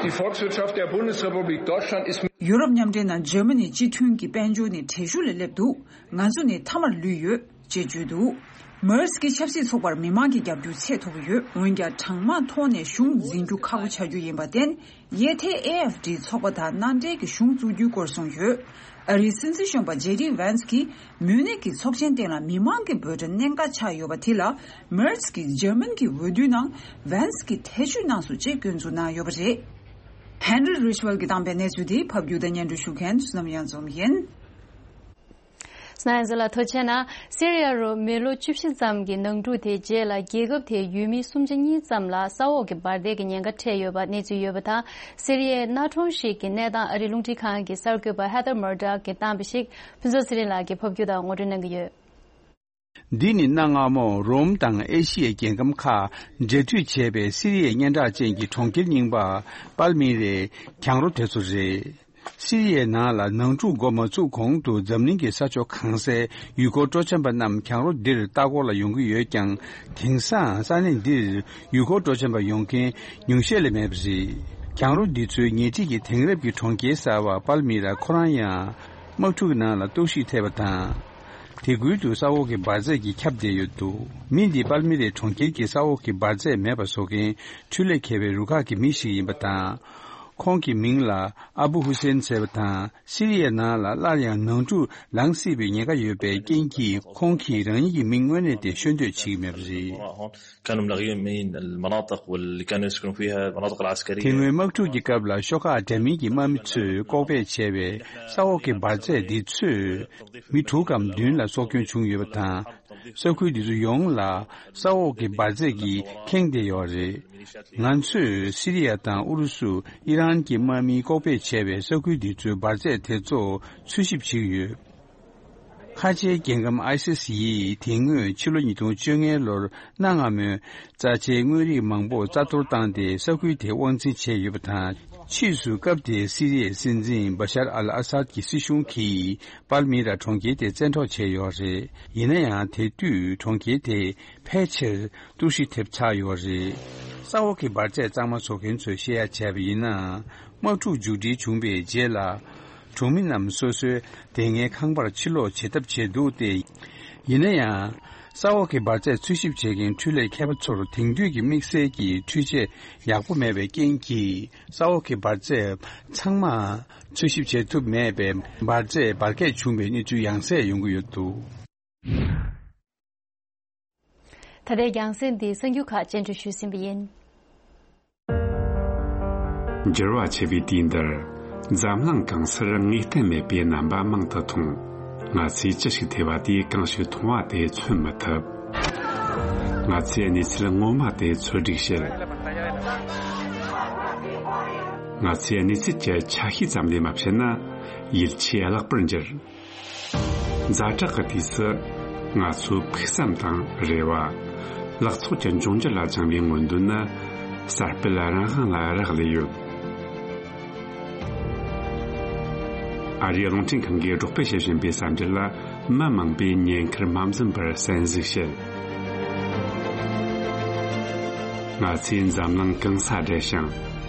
Die Volkswirtschaft der Bundesrepublik Deutschland ist ཡོ་རོབ་མཉམ་འབྲེལ་ནང་འཇར་མ་ནིའི་སྤྱི་མཐུན་གྱི་དཔལ་འབྱོར་ནི་བྲེལ་ཞུ་ལས་སླེབས་འདུག་ང་ཚོ་ནི་མཐའ་མར་ལུས་ཡོད་ཅེས་བརྗོད་འདུག Merz་གྱིས་ཆབ་སྲིད་ཚོགས་པར་མི་མང་གི་རྒྱབ་སྐྱོར་ཚད་མཐོ་པོ་ཡོད། འོན་ཀྱང་གྲངས་མང་ཐོག་ནས་གཞུང་འཛིན་རྒྱུ་ཁག་པོ་ཆགས་རྒྱུ་ཡིན་པར་བརྟེན། གཡས་ཐལ་ཨེ་ཨེཕ་ཌི་ཚོགས་པ་དང་མནའ་འབྲེལ་གྱི་གཞུང་བཙུགས་རྒྱུའི་སྐོར་གསུངས་ཡོད། ཨ་རིའི་སྲིད་འཛིན་གཞོན་པ་ཇེ་ཌི་ཝན་སི་གིས་མུན་ནེག་གི་ཚོགས་ཆེན་སྟེང་ལ་མི་མང་གི་འབོད་སྒྲ་གནད་འགག་ཆགས་ཡོད་པ་དེ་ལ། མེར་ཚི་གིས་འཇར་མན་གྱི་འོས་བསྡུའི་ནང་ཝན་སི་གིས་ཐེ་བྱུས་གནང་སོང་ཅེས་སྐྱོན་འཛུགས་གནང་ཡོད་པ་རེད། ཧན་རི་རིཆ་ཝེལ་གྱིས་བཏང་པའི་གནས་ཚུལ་དེ་ཕབ་སྒྱུར་དང་སྙན་སྒྲོན་ཞུ་མཁན་བསོད་ནམས་གཡང་འཛོམས་ཡིན། སྣང་ཡང་ཚོ་ལ་ཐུགས་རྗེ་ཆེ་གནང་། སི་རི་ཡ་རུ་མི་ལོ་བཅུ་བཞི་ཙམ་གྱི་ནང་འཁྲུག་དེའི་རྗེས་ལ་རྒྱལ་ཁབ་དེའི་ཡུལ་མི་སུམ་ཆ་གཉིས་ཙམ་ལ་ས་འོག་གི་འབར་མདེལ་གྱི་ཉེན་ཁ་འཕྲད་ཡོད་པ་གནས་ཚུལ་ཡོད་པ་དང་། སི་རི་ཡའི་གནའ་གྲོང་ཞིག་གི་གནས་སྟངས་ཨ་རིའི་རླུང་འཕྲིན་ཁང་གི་གསར་འགོད་པ་Heather Murdoch་གིས་བཏང་པ་ཞིག་ཕུན་ཚོགས་ཚེ་རིང་ལགས་ཀྱིས་ཕབ་སྒྱུར་དང་ངོ་སྤྲོད་གནང་གི་ཡོད། འདི་ནི་གནའ་སྔ་མོ་རོམ་དང་ཨེ་ཤི་ཡའི་རྒྱལ་ཁམས་ཁག་འབྲེལ་མཐུད་བྱས་པའི་སི་རི་ཡའི་སྙན་གྲགས་ཅན་གྱི་གྲོང་ཁྱེར་རྙིང་པ་པལ་མི་རའི་གྱང་རོ་དེ་ཚོ་རེད། སི་རི་ཡའི་ནང་ལ་ནང་འཁྲུག་འགོ་མ་ཚུགས་གོང་དུ་འཛམ་གླིང་གི་ས་ཕྱོགས་གང་སའི་ཡུལ་སྐོར་སྤྲོ་འཆམ་པ་རྣམས་གྱང་རོ་འདིར་ལྟ་སྐོར་ལ་ཡོང་གི་ཡོད་ཀྱང་། དེང་སང་ས་གནས་འདིར་ཡུལ་སྐོར་སྤྲོ་འཆམ་པ་ཡོང་མཁན་ཉུང་ཤས་ལས་མེད་པ་རེད། གྱང་རོ་འདི་ཚོའི་ཉེ་འཁྲིས་ཀྱི་དེང་རབས་ཀྱི་གྲོང་ཁྱེར་གསར་བ་པལ་མི་ར་ཁོ་རང་ཡང་དམག་འཁྲུག་ནང་ལ་གཏོར་བཤིག་ཐེབས་པ་དང་། དེ་ཁུལ་དུ་ས་འོག་གི་འབར་རྫས་ཀྱིས་ཁྱབ་བསྡད་ཡོད་འདུག་མི་འདི་པལ་མི་རའི་གྲོང་ཁྱེར་གྱི་ས་འོག་གི་འབར་རྫས་མེད་པ་བཟོ་མཁན་འཕྲུལ་ལས་མཁས་པའི་རུ་ཁག་གི་མི་ཞིག་ཡིན་པ་དང་། ཁོང་གི་མིང་ལ་ཨ་བུ་ཧུ་སེན་ཟེར་བ་དང་། སི་རི་ཡའི་ནང་ལ་སླར་ཡང་ནང་འཁྲུག་ལངས་སྲིད་པའི་ཉེན་ཁ་ཡོད་པའི་རྐྱེན་གྱིས། ཁོང་གིས་རང་ཉིད་ཀྱི་མིང་དངོས་གནས་དེ་ཤོད་འདོད་བྱེད་ཀྱི་མེད་པ་རེད། كانوا ملغيين من المناطق واللي كانوا يسكنوا فيها المناطق العسكرية. དེ་སྔོན་དམག་འཁྲུག་གི་སྐབས་ལ་ཤོག་ཁག་འདྲ་མིན་གྱི་དམག་མི་ཚོས་ལྐོག་སྦས་བྱས་པའི་ས་འོག་གི་འབར་རྫས་འདི་ཚོས་མི་དྲུག་གམ་བདུན་ལ་སྲོག་སྐྱོན་བྱུང་ཡོད་པ་དང་། ས་ཁུལ་འདི་ཚོ་ཡོངས་ལ་ས་འོག་གི་འབར་རྫས་ཀྱིས་ཁེངས་བསྡད་ཡོད་རེད། ང་ཚོས་སི་རི་ཡ་དང་ཨུ་རུ་སུ། ཨི་རན་གྱི་དམག་མིས་ལྐོག་སྦས་བྱས་པའི་ས་ཁུལ་འདི་ཚོའི་འབར་རྫས་དེ་ཚོ་འཚོལ་ཞིབ་བྱེད་ཀྱི་ཡོད། ཁ་ཆེའི་རྒྱལ་ཁམས་ཨའི་སི་སི་ཡིས་དེ་སྔོན་ཕྱི་ལོ་ཉིས་སྟོང་བཅོ་ལྔ་ལོར་གནའ་སྔ་མོའི་རྩ་ཆེའི་དངོས་རིགས་མང་པོ་རྩ་གཏོར་བཏང་སྟེ་ས་ཁུལ་དེ་དབང་འཛིན་བྱས་ཡོད་པ་དང་། ཕྱིས་སུ་སྐབས་དེའི་སི་རི་ཡའི་སྲིད་འཛིན་བ་ཤར་ཨལ་ཨ་སཱད་ཀྱི་སྲིད་གཞུང་གིས་པལ་མི་ར་གྲོང་ཁྱེར་དེ་བཙན་འཕྲོག་བྱས་ཡོད་རེད། ཡིན་ན་ཡང་དེ་དུས་གྲོང་ཁྱེར་དེ་ཕལ་ཆེར་གཏོར་བཤིག་ཐེབས་ཚར་ཡོད་རེད། ས་འོག་གི་འབར་རྫས་གཙང་མ་བཟོ་མཁན་ཚོས་བཤད་ཡ་བྱས་པ་ཡིན་ན། དམག་འཁྲུག་མཇུག་སྒྲིལ་བྱུང་བའི་རྗེས་ལ། གྲོང་མི་རྣམས་སོ་སོའི་སྡོད་གནས་ཁང་པར་ཕྱིར་ལོག་བྱེད་ཐབས་བྱས་འདུག་སྟེ། ཡིན་ན་ཡང་། ས་འོག་གི་འབར་རྫས་འཚོལ་ཞིབ་བྱེད་མཁན་འཕྲུལ་ལས་མཁས་པ་ཚོར་དེང་དུས་ཀྱི་དམིགས་བསལ་གྱི་འཕྲུལ་ཆས་ཡག་པོ་མེད་པའི་རྐྱེན་གྱིས། ས་འོག་གི་འབར་རྫས་ཚང་མ་འཚོལ་ཞིབ་བྱེད་ཐུབ་མེད་པས། འབར་རྫས་འབར་གས་བྱུང་བའི་གནས་ཚུལ་ཡང་སེ་ཡོང་གི་ཡོད་འདུག་ད་ལྟའི་རྒྱང་སྲིང་འདི་གསར་འགྱུར་ཁག་སྤྱན་འབུལ་ཞུས་ཟིན་པ་ཡིན། འགྱུར་བ་ཆེ་བའི་དུས་འདིར། འཛམ་གླིང་གང་སར་ངེས་གཏན་མེད་པའི་རྣམ་པ་མང་དུ་མཐོང་། ང་ཚོས་ཅི་ཞིག་ཐོས་པ་དེས་གང་ཞིག་མཐོང་བ་དེ་མཚོན་མི་ཐུབ། ང་ཚོས་གནས་ཚུལ་ངོ་མ་དེ་འཚོལ་སྒྲིག་བྱེད། ང་ཚོས་གནས་ཚུལ་གྱི་ཆ་ཤས་ཙམ་ལས་མ་བཤད་ན། ཡིད་ཆེས་བརླག་པར་འགྱུར། ཛ་དྲག་གི་དུས་སུ། ང་ཚོའི་ཕུགས་བསམ་དང་རེ་བ། ལག་ཚོགས་ཀྱི་འབྱུང་འགྱུར་ལ་བཅངས་པའི་མངོན་འདོད་ནི། གསར་སྤེལ་རང་དབང་ལ་རག་ལས་ཡོད། ཨ་རིའི་རླུང་འཕྲིན་ཁང་གིས་སྒྲོག་སྤེལ་བྱེད་བཞིན་པའི་གསར་འགྱུར་ལ། མི་མང་པོས་ཉེན་ཁར་མ་འཛེམས་པར་གསན་གཟིགས་བྱེད། ང་ཚོས་འཛམ་གླིང་གང་སར་བསྒྲལ་ཞིང་།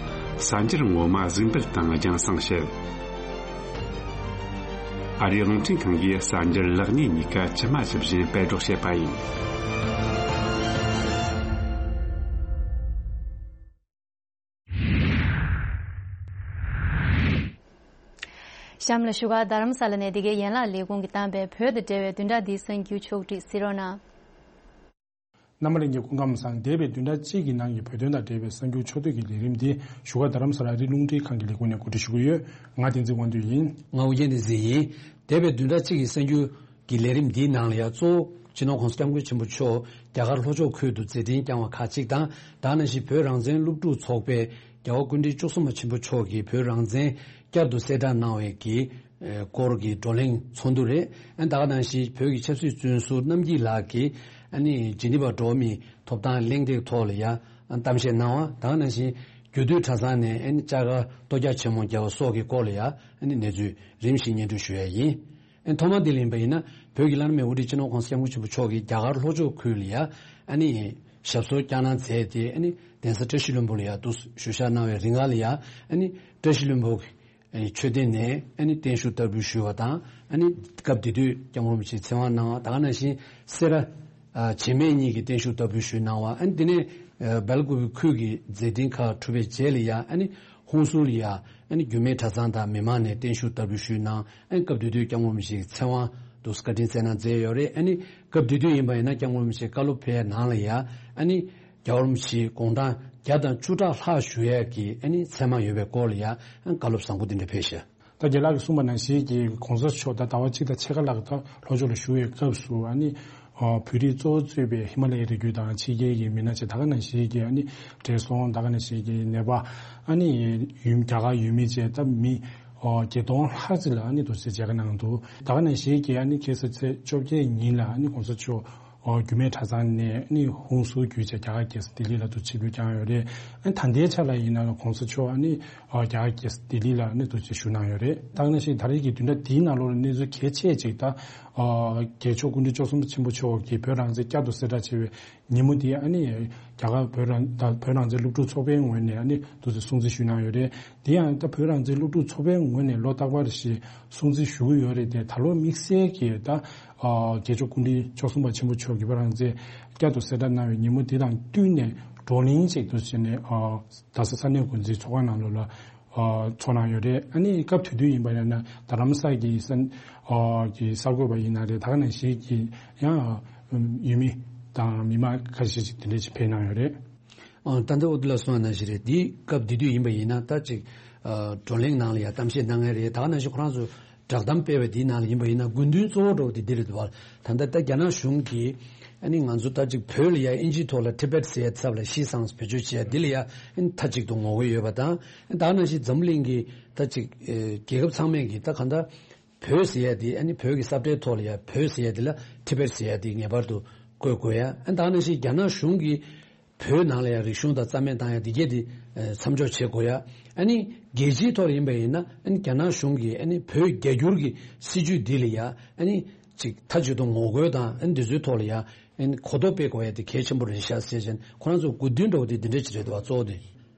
གསར་འགྱུར་ངོ་མ་གཟིགས་འབུལ་དང་རྒྱང་སྲིང་བྱེད། ཨ་རིའི་རླུང་འཕྲིན་ཁང་གིས་གསར་འགྱུར་ལེགས་ཉེས་གཉིས་ཀ་ཇི་མ་ཇི་བཞིན་སྤེལ་སྒྲོག་བྱེད་པ་ཡིན། གཤམ་ལ་བཞུགས་སྒར་རྡ་རམ་ས་ལ་ནས་འདི་གའི་ཡན་ལག་ལས་ཁུངས་ཀྱིས་བཏང་པའི་བོད་དང་འབྲེལ་བའི་བདུན་ཕྲག་འདིའི་གསར་འགྱུར་ཕྱོགས་བསྒྲིགས་གཟིགས་རོགས་གནང་། རྣམ་པ་ལྷན་རྒྱས་སྐུ་ཁམས་བཟང་། འདས་པའི་བདུན་ཕྲག་གཅིག་གི་ནང་གི་བོད་དོན་དང་འབྲེལ་བའི་གསར་འགྱུར་ཕྱོགས་བསྡུས་ཀྱི་ལས་རིམ་འདི་བཞུགས་སྒར་རྡ་རམ་ས་ལ་ཨ་རིའི་རླུང་འཕྲིན་ཁང་གི་ལས་ཁུངས་ནས་གོ་སྒྲིག་ཞུ་གི་ཡོད། ང་བསྟན་འཛིན་དབང་འདུས་ཡིན། ང་ཨུ་རྒྱན་བསྟན་འཛིན་ཡིན། འདས་པའི་བདུན་ཕྲག་གཅིག་གི་གསར་འགྱུར་གྱི་ལས་རིམ་འདིའི་ནང་ལ་ཡང་གཙོ་བོ་སྤྱི་ནོར་༸གོང་ས་༸སྐྱབས་མགོན་ཆེན་པོ་མཆོག་རྒྱ་གར་ལྷོ་ཕྱོགས་ཁུལ་དུ་མཛད་འཕྲིན་བསྐྱངས་པ་ཁག་ཅིག་དང་། དེ་ནང་བཞིན་བོད་རང་བཙན་སློབ་ཕྲུག་ཚོགས་པའི་ རྒྱལ་བ་སྐུ་ཕྲེང་བཅུ་གསུམ་པ་ཆེན་པོ་མཆོག་གིས་བོད་རང་བཙན་བསྐྱར་དུ་གསལ་བསྒྲགས་གནང་བའི་གི་ཨེ་སྐོར་གྱི་བགྲོ་གླེང་ཚོགས་འདུ་རེད། ཨ་ནི་ད་ག་ནང་བཞིན་བོད་ཀྱི་ཆབ་སྲིད་བཙོན་ཟུར་རྣམ་རྒྱལ་ལགས་ཀྱིས་ཨ་ནི་ཇི་ནི་ཝ་འགྲོ་བ་མིའི་ཐོབ་ཐང་གླེང་སྟེགས་ཐོག་ལ་ཡ་གཏམ་བཤད་གནང་བ། ད་ག་ནང་བཞིན་རྒྱུད་སྟོད་གྲྭ་ཚང་ནས་ཨ་ནི་བཅའ་སྒར་ལྟོ་རྒྱག་ཆེན་མོ་བརྒྱབ་པ་སོགས་ཀྱི་སྐོར་ལ་ཡ་ཨ་ནི་གནས་ཚུལ་རིམ་བཞིན་སྙན་སྒྲོན་ཞུ་ཡ་ཡིན། ཨ་ནི་ཐོག་མ་འདི་ལ་ཡིན་པ་ཡིན་ན་བོད་ཀྱི་བླ་ན་མེད་དབུ་ཁྲིད་སྤྱི་ནོར་༸གོང་ས་༸སྐྱབས་མགོན་ཆེན་པོ་མཆོག་གིས་རྒྱ་གར་ལྷོ་ཕྱོགས་ཁུལ་ལ་ཡ་ཨ་ནི་ཞབས་སོར་བསྐྱངས་གནང་མཛད་དེ། ཨ་ནི་གདན་ས་བཀྲ་ཤིས་ལྷུན་པོ་ལ་ཡ་འདུག་ཞུ་བཞག་གནང་བའི་རིང་ལ་ཡ་ཨ་ནི་བཀྲ་ཤིས་ལྷུན་པོ་གི་མཆོད་རྟེན་ནས་ཨ་ནི་བརྟན་བཞུགས་བསྟར་འབུལ་ཞུས་པ་དང་། ཨ་ནི་སྐབས་དེ་དུས་༸སྐྱབས་མགོན་རིན་པོ་ཆེའི་ཚེ་དབང་གནང་བ། ད་ག་ནང་བཞིན་སེ་ར་བྱེས་སྨད་གཉིས་ཀྱི་བརྟན་བཞུགས་བསྟར་འབུལ་ཞུས་གནང་བ། ཨ་ནི་དེ་ནས་སྦེལ་ཀོབ་ཁུལ་གྱི་མཛད་འཕྲིན་ཁག་གྲུབ་པའི་རྗེས་ལ་ཡ་ཨ་ནི་ཧུན་སུར་ལ་ཡ་ཨ་ནི་རྒྱུད་སྨད་གྲྭ་ཚང་དང་མི་མང་ནས་བརྟན་བཞུགས་བསྟར་འབུལ་ཞུས་གནང་། ཨ་ནི་སྐབས་དེ་དུས་༸སྐྱབས་མགོན་རིན་པོ་ཆེའི་ཚེ་དབང་དུ་བཀའ་དྲིན་སྩལ་གནང་མཛད་ཡོད་རེད། ཨ་ནི་སྐབས་དེ་དུས་ཡིན་པ་ཡིན་ན་༸སྐྱབས་མགོན་རིན་པོ་ཆེ་བཀའ་སློབ་ཕེབས་ནང་ལ་ཡ་ཨ་ནི་རྒྱལ་བ་རིན་པོ་ཆེ་དགུང་གྲངས་བརྒྱ་དང་བཅུ་ཕྲག་ལྷག་བཞུགས་ཡས་ཀྱི་ཨ་ནི་མཚན་མ་ཡོད་པའི་སྐོར་ལ་ཡ་ཨ་ནི་བཀའ་སློབ་བཟང་པོ་འདི་འདྲ་ཕེབས་ཤག་ད་རྒན་ལགས་ཀྱིས་གསུངས་པ་ནང་བཞིན་གྱི་༸གོང་ས་མཆོག་ད་ཟླ་བ་གཅིག་དང་ཕྱེད་ཀ་ལྷག་ད་ལྷོ་ཕྱོགས་ལ་བཞུགས་པའི་སྐབས་སུ་ཨ་ནི་ཨ་བོད་རིགས་གཙོ་བོ་གཙོས་པའི་ཧི་མ་ལ་ཡའི་རི་རྒྱུད་དང་ཕྱི་རྒྱལ་གྱི་མི་སྣ་བཅས་ད་ག་ནང་བཞིན་གྱི་ཨ་ནི་བགྲེས་སོང་ད་ག་ནང་བཞིན་གྱི་ནད་པ་ཨ་ནི་ཡུལ་རྒྱ་གར་ཡུལ་མི་བཅས་ད་མི་ཨ་བརྒྱད་སྟོང་ལྷག་ཅིག་ལ་ཨ་ནི་དུས་ཚོད་མཇལ་ཁ་གནང་འདུག་ད་ག་ནང་བཞིན་གྱི་ཨ་ནི་ཁ་སང་ཚེས་བཅོ་བརྒྱད་ཉིན་ལ་ཨ་ནི་༸གོང་ས་མཆོག་ཨོ་རྒྱུད་སྨད་གྲྭ་ཚང་ནས་ནི་ཧུན་སུར་བརྒྱུད་བྱས་རྒྱ་གར་རྒྱལ་ས་ལྡི་ལི་ལ་དུ་ཆིབས་བསྒྱུར་བསྐྱངས་ཡོད་རེད། ཨ་ནི་ད་ལྟའི་ཆ་ལ་ཡིན་ན་༸གོང་ས་མཆོག་ཨ་ནི་ཨོ་རྒྱ་གར་རྒྱལ་ས་ལྡི་ལི་ལ་ནི་དུ་ཆིབས་བསྒྱུར་གནང་ཡོད་རེད། ད་ག་ནང་བཞིན་ད་རེས་ཀྱི་བདུན་ཕྲག་འདིའི་ནང་ལོགས་ལ་གནས་ཚུལ་གལ་ཆེ་ཅིག་ད་ཨོ་རྒྱལ་མཆོག་སྐུ་ཕྲེང་བཅུ་གསུམ་པ་ཆེན་པོ་མཆོག་གིས་བོད་རང་བཙན་བསྐྱར་དུ་གསལ་བསྒྲགས་བྱས་པའི་ཉིན་མོ་དེ་ཨ་ནི་རྒྱ་གར་བོད་རང་ད་བོད་རང་བཙན་སློབ་ཕྲུག་ཚོགས་པའི་ངོས་ནས་ཨ་ནི་དུ་ཆིབས་སྲུང་བརྩི་ཞུས་གནང་ཡོད་རེད། དེ་ཡང་ད་བོད་རང་བཙན་སློབ་ཕྲུག་ཚོགས་པའི་ངོས་ནས་ལོ་རྟག་པར་བཞིན་སྲུང་བརྩི་ཞུ་གི་ཡོད་རེད་དེ། ད་ལོ་དམིགས་བསལ་གྱི་ད་ཨ་རྒྱལ་མཆོག་སྐུ་ཕྲེང་བཅུ་གསུམ་པ་ཆེན་པོ་མཆོག་གིས་བོད་རང་བཙན་བསྐྱར་དུ་གསལ་བསྒྲགས་གནང་བའི་ཉིན་མོ་དེ་དང་བསྟུན་ནས་བགྲོ་གླེང་ཅིག་ཏུ་བྱས་ནས་ཨ་རྡ་ས་ས་གནས་འགོ་འཛིན་ཚོགས་ཁང་ནང་ལོགས་ལ་ཨ་ཚོགས་གནང་ཡོད་རེད། ཨ་ནི་སྐབས་དེ་དུས་ཡིན་པ་ཡིན་ན་རྡ་རམ་ས་གི་ས་ཨ་གི་གསར་འགོད་པ་ཡིན་ན་རེད། ད་ག་ནང་བཞིན་གྱི་ཡང་ཡུལ་མི་དང་མི་མང་ཁ་ཤས་ཅིག་དེ་འདྲས་ཅིག་ཕེབས་གནང་ཡོད་རེད། ཨ་ད་ལྟ་འོ་དེ་ལ་སོང་བ་ནང་བཞིན་རེད། འདི་སྐབས་དེ་དུས་ཡིན་པ་ཡིན་ན་ད་ཅིག་ཨ་བགྲོ་གླེང་ནང་ལ་ཡང་གཏམ་བཤད་གནང་མཁན་རེད། ད་ག་ནང་བཞིན་ཁོ་རང་ཚོ་བསྒྲགས་གཏམ་སྤེལ་བའི་དེའི་ནང་ལ་ཡིན་པ་ཡིན་ན་དགོས་འདུན་གཙོ་བོ་འདྲ་བོ་དེ་འདི་རེད་འདུག་བ། ད་ལྟ་ད་རྒྱ་ནག་གཞུང་གིས་ཨ་ནི་ང་ཚོ་ད་ཅིག་བོད་ལ་ཡང་ཨིན་ཇིའི་ཐོག་ལ་ཊི་བེཊ་ཟེར་ཡ་ཚབ་ལ་ཤི་སངས་བེད་སྤྱོད་བྱས་འདི་ལ་ཡང་ཨ་ནི་མཐའ་གཅིག་ཏུ་ངོ་རྒོལ་ཡོད་པ་དང་། ད་ག་ནང་བཞིན་འཛམ་གླིང་གི་ད་ཅིག་ཨེ་རྒྱལ་ཁབ་ཚང་མས་ཀྱི་ད་གང་ལྟར་བོད་ཟེར་ཡ་དེ་ཨ་ནི་བོད་ཀྱི་ས་བཀྲའི་ཐོག་ལ་ཡ་བོད་ཟེར་ཡ་དེ་ལ་ཊི་བེཊ་ཟེར་ཡ་དེ་ངེས་པར་དུ་བཀོད་དགོས་ཡ། ཨ་ནི་ད་ག་ནང་བཞིན་རྒྱ་ནག་གཞུང་གིས་བོད་ནང་ལ་ཡང་རིག་གཞུང་དང་རྩ་མེད་བཏང་ཡ་འདི་གས་དེ་ཨ་མཚམས་འཇོག་བྱེད་དགོས་ཡ། ཨ་ནི་རྒྱལ་སྤྱིའི་ཐོག་ལ་ཡིན་པ་ཡིན་ན་ཨ་ནི་རྒྱ་ནག་གཞུང་གིས་ཨ་ནི་བོད་རྒྱ་བསྒྱུར་གྱི་སྲིད་ཇུས་འདི་ལ་ཡ་ཨ་ནི་ཅིག་མཐའ་གཅིག་ཏུ་ངོ་རྒོལ་དང་ཨ་ནི་འདི་ཚོའི་ཐོག་ལ་ཡ་ཨ་ནི་གོ་རྟོགས་སྤེལ་དགོས་ཡ་དེ་གལ་ཆེན་པོ་རེད་ཤག་ཟེར་བྱས་ནས་ཁོ་རང་ཚོ་དགོས་འདུན་འདྲ་བོ་དེ་འདི་འདྲ་ཅིག་རེད་འདུག་བ། གཙོ་བོ་དེ་